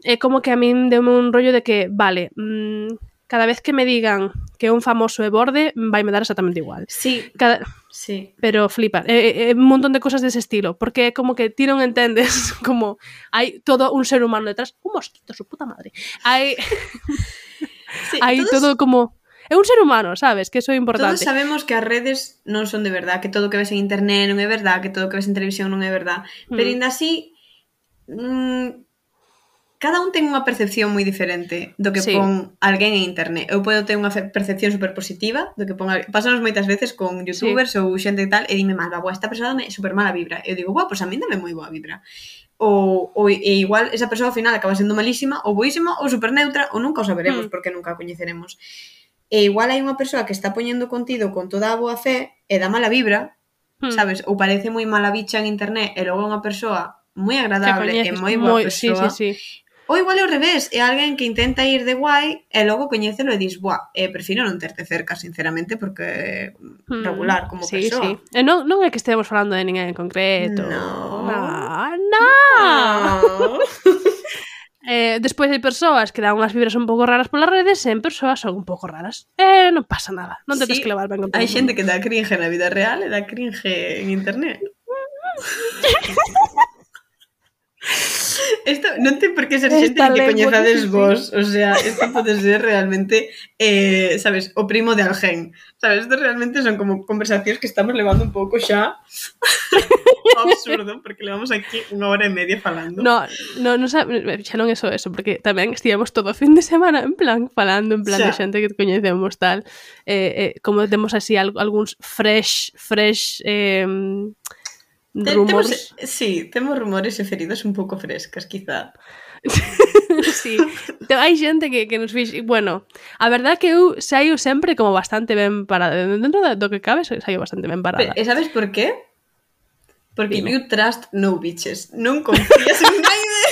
é como que a min deume un rollo de que, vale, mmm, cada vez que me digan que un famoso é borde, vai me dar exactamente igual. Sí, Cada, sí. pero flipa, é, é un montón de cosas dese estilo, porque é como que ti non entendes como hai todo un ser humano detrás, un mosquito, su puta madre. Hai sí hai todos, todo como é un ser humano, sabes? Que eso é todos importante. sabemos que as redes non son de verdad, que todo o que ves en internet non é verdad, que todo o que ves en televisión non é verdad, Mm. pero ainda así mmm, cada un ten unha percepción moi diferente do que Sí. pon alguén en internet. Eu podo ter unha fe- percepción super positiva do que pon alguén. Pásanos moitas veces con youtubers sí. ou xente e tal, e dime malva, boa, esta persoa dame super mala vibra. Eu digo, boa, pois pues a mí dame moi boa vibra. Ou, ou e igual esa persoa ao final acaba sendo malísima, ou boísima, ou super neutra, ou nunca o saberemos, Mm. porque nunca a coñeceremos. E igual hai unha persoa que está poñendo contido con toda a boa fe e dá mala vibra, Mm. sabes? Ou parece moi mala bicha en internet e logo é unha persoa moi Que agradable e coñeces moi boa moi, sí, persoa. sí, sí. Ou igual é ao revés, é alguén que intenta ir de guai e logo coñécelo e dis, buah, eh, prefiro non terte cerca, sinceramente, porque Hmm, regular como sí, persoa. sí. E non, non é que estemos falando de ninguén en concreto. No. No, no. Ah. Eh, despois hai persoas que dan unhas vibras un pouco raras polas redes e en persoas son un pouco raras. Eh, non pasa nada. Non tedes Sí, que levar ben con todo. hai xente que dá cringe na vida real e dá cringe en internet. Isto non ten por que ser xente Esta que lengua coñezades que sí. vos. O sea, isto pode ser realmente, eh, sabes, o primo de alguén. Sabes, isto realmente son como conversacións que estamos levando un pouco xa absurdo, porque levamos aquí unha hora e media falando. No, no, no sabe, xa non é só eso, porque tamén estivemos todo o fin de semana en plan falando, en plan Xa. de xente que coñecemos tal, eh, eh, como temos así al, algúns fresh, fresh eh, Te- rumors. Temos, sí, temos rumores e feridas un pouco frescas, quizá. Sí, te, hai xente que, que nos fix... Bueno, a verdade que eu saio sempre como bastante ben parada. Dentro do que cabe, saio bastante ben Pero, parada. e sabes por qué? Porque Dime. you trust no bitches. Non confías en naide.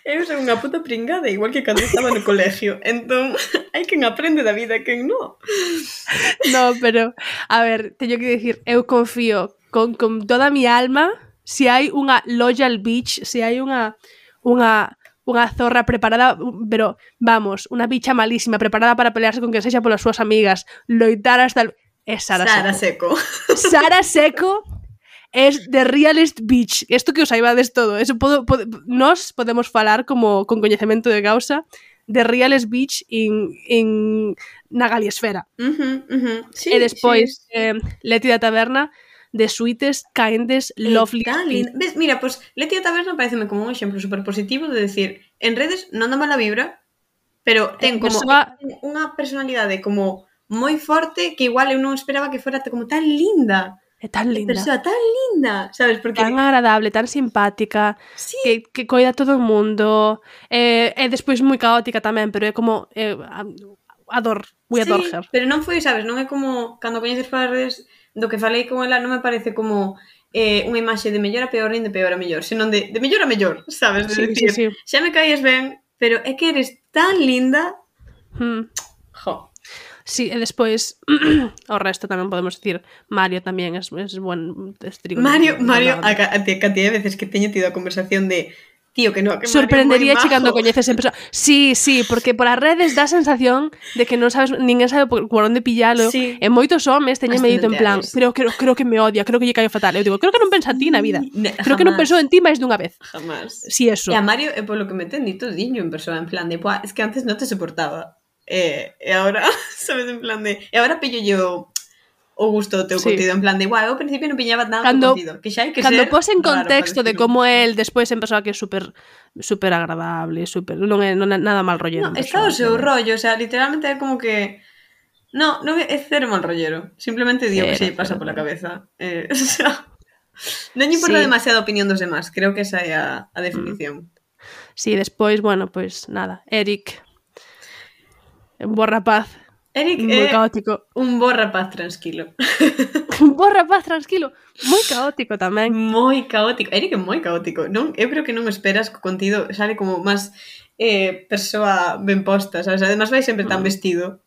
Eu son unha puta pringada, igual que cando estaba no colegio. Entón, hai quen aprende da vida e quen non. No, pero, a ver, teño que dicir, eu confío con, con toda a mi alma se hai unha loyal bitch, se hai unha unha unha zorra preparada, pero, vamos, unha bicha malísima, preparada para pelearse con que sexa polas súas amigas, loitar hasta el... É Sara, Sara Seco. Seco. Sara Seco es the realest bitch. Esto que os saibades todo. Eso podo, podo, nos podemos falar como con coñecemento de causa the realest bitch in, in na galiesfera. Uh-huh, uh-huh. Sí, e despois, sí. eh, Leti da Taberna, the sweetest, kindest, lovely. Ves, mira, pues Leti da Taberna pareceme como un exemplo super positivo de decir, en redes non dá mala vibra, pero ten como persoa... ten unha personalidade como moi forte que igual eu non esperaba que fora como tan linda. É tan linda. É persoa tan linda, sabes? Porque... Tan agradable, tan simpática, sí. que, que coida todo o mundo. É, é despois moi caótica tamén, pero é como... É, ador, we sí, adore her. Pero non foi, sabes? Non é como cando coñeces para redes do que falei con ela, non me parece como eh, unha imaxe de mellor a peor nin de peor a mellor, senón de, de mellor a mellor, sabes? De sí, decir, sí, sí. xa me caes ben, pero é que eres tan linda. Hmm. Jo. Sí, e despois o resto tamén podemos dicir Mario tamén é buen estrigo. Mario, Mario, a, a, a cantidad de veces que teño tido a conversación de tío, que no, que sorprendería che cando coñeces en persona. Sí, sí, porque por as redes dá a sensación de que non sabes, ninguén sabe por, por onde pillalo. Sí. E moitos homes teñen medito en plan, pero creo, creo que me odia, creo que lle caio fatal. Eu digo, creo que non pensa en ti na vida. Ne, creo que non pensou en ti máis dunha vez. Jamás. Sí, eso. E a Mario é polo que me ten dito diño en persona, en plan de, buah, es que antes non te soportaba. E, e agora, sabes, en plan de... E agora pillo yo o gusto do teu sí. contido, en plan de, guau, eu ao principio non piñaba nada cando, do contido, que xa hai que cando ser pos en contexto de como é el despois en persoa que é super super agradable, super, non é, non é nada mal rollero. No, está o seu rollo, o sea, literalmente é como que no, non é cero mal rollero, simplemente digo cero, que se lle pasa pola cabeza. Eh, o sea, non lle importa sí. demasiada a opinión dos demás, creo que esa é a, a definición. Sí, despois, bueno, pois pues, nada, Eric un bo rapaz. Eric moi é caótico. Un bo rapaz tranquilo. Un bo rapaz tranquilo. Moi caótico tamén. Moi caótico. Eric é moi caótico. Non, eu creo que non esperas que o contido sale como máis eh, persoa ben posta, sabes? Además vai sempre tan vestido.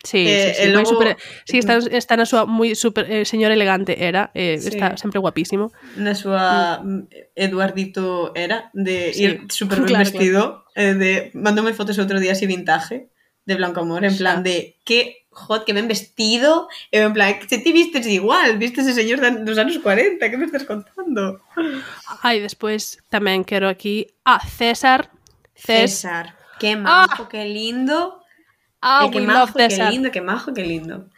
Sí, eh, sí, sí. Logo... Super, sí, está, está na súa moi super eh, señor elegante era, eh, sí. Está sempre guapísimo. Na súa mm. Eduardito era de sí. ir super ben claro, vestido, claro. Eh, de mandoume fotos outro día así vintage. De Blanco Amor, en plan de que hot, que ben vestido, e en plan, que ti vistes igual, vistes ese señor dos anos cuarenta, que me estás contando? Ai, despois tamén quero aquí a César. César, que majo, ah. que lindo. Ah, e que majo, que lindo, que majo, que lindo.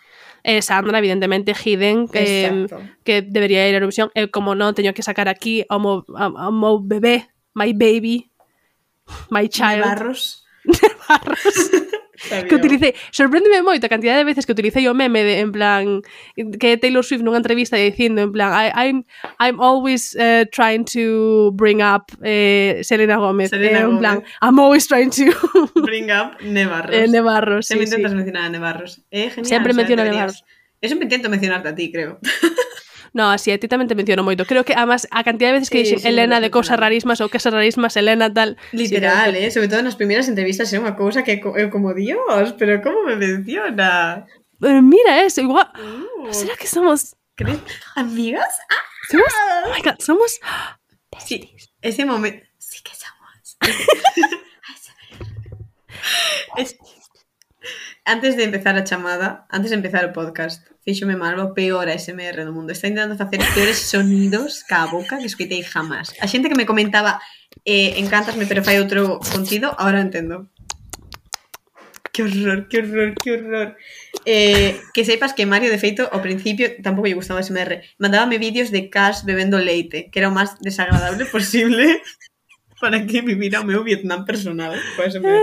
E Sandra, evidentemente, Hidden, que, que debería ir a Eurovisión. E como non, teño que sacar aquí ao mo, ao mo bebé, my baby, my child. Nevarros. Nevarros. Que utilicei, sorpréndeme moito a cantidad de veces que utilicei o meme de, en plan, que Taylor Swift nunha entrevista dicindo en plan, I, I'm, I'm always uh, trying to bring up eh, Selena Gómez, Selena eh, en Gómez. plan, I'm always trying to bring up Nevarros. Eh, Nevarros, Sempre sí, intentas sí. mencionar a Nevarros. Eh, genial. Sempre menciono a Nevarros. Eu sempre intento mencionarte a ti, creo. No, así, a ti tamén te menciono moito. Creo que, además, a cantidad de veces que sí, dixen sí, Elena de cousas rarísimas ou cousas rarísimas, Elena tal... Literal, sí, eh? Sobre todo nas primeiras entrevistas é unha cousa que eu como, Dios, pero como me menciona? Eh, mira eso, igual... Uh, ¿será que somos... ¿Crees? ¿Amigas? ¡Ah! ¿Somos? Oh my God, somos... Sí, ese momento... Sí que somos. es... Antes de empezar a chamada, antes de empezar o podcast, fíxome mal o peor A S M R do mundo. Está intentando facer peores sonidos ca boca que escoitei jamás. A xente que me comentaba eh, encántasme, pero fai outro contido, ahora entendo. Que horror, que horror, que horror. Eh, que sepas que Mario, de feito, ao principio tampouco lle gustaba A S M R. Mandábame vídeos de Cash bebendo leite, que era o máis desagradable posible para que vivira o meu Vietnam personal co A S M R.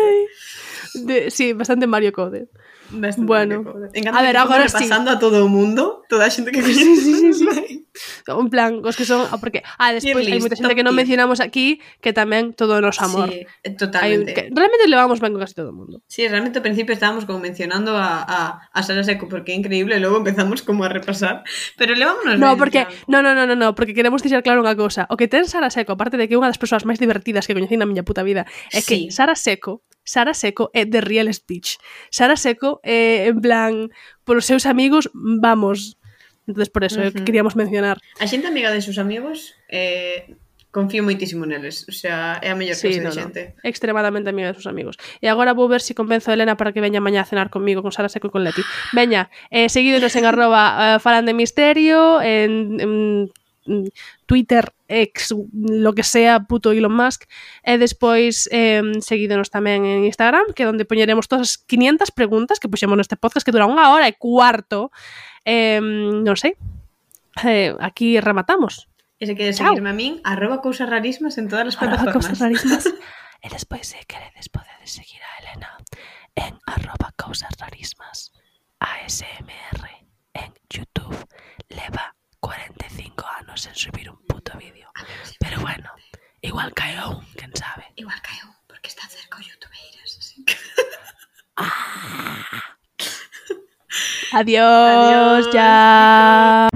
De, sí, bastante Mario Code. Bastante bueno, Mario Code. a ver, agora sí. Pasando a todo o mundo, toda a xente que coñece. Sí, sí, sí, sí. En plan, os que son... Porque, ah, despois hai moita xente que non mencionamos aquí que tamén todo o noso amor. Sí, totalmente. Hai, que realmente levamos ben con casi todo o mundo. Sí, realmente ao principio estábamos como mencionando a, a, a Sara Seco porque é increíble, e logo empezamos como a repasar, pero levámonos No, ben, porque, ya. no, no, no, no, no, porque queremos dixer claro unha cousa. O que ten Sara Seco, aparte de que é unha das persoas máis divertidas que coñecí na miña puta vida, é que Sí. Sara Seco Sara Seco é the real speech. Sara Seco é, en plan, polos seus amigos, vamos... Entonces por eso, uh-huh. é o que queríamos mencionar. A xente amiga de seus amigos, eh, confío moitísimo neles. O sea, é a mellor sí, clase no, de xente. No. Extremadamente amiga de seus amigos. E agora vou ver se si convenzo a Elena para que veña mañá a cenar conmigo, con Sara Seco e con Leti. Veña, eh, seguídenos en arroba uh, falan de misterio, en... en Twitter, ex, lo que sea, puto Elon Musk, e despois eh, seguídenos tamén en Instagram, que é onde poñeremos todas as quinientas preguntas que puxemos neste podcast que dura unha hora e cuarto. Eh, non sei. Eh, aquí rematamos. E se queres seguirme a min, arroba cousas rarísimas en todas as plataformas. Arroba cousas rarísimas. E despois, se queredes, podedes seguir a Elena en arroba cousas rarísimas A S M R en YouTube. Leva cuarenta e cinco anos en subir un puto vídeo. Pero bueno, igual cae un, quen sabe. Igual cae un, porque está cerca o youtubeiras, así que... Adiós, Adiós, ya.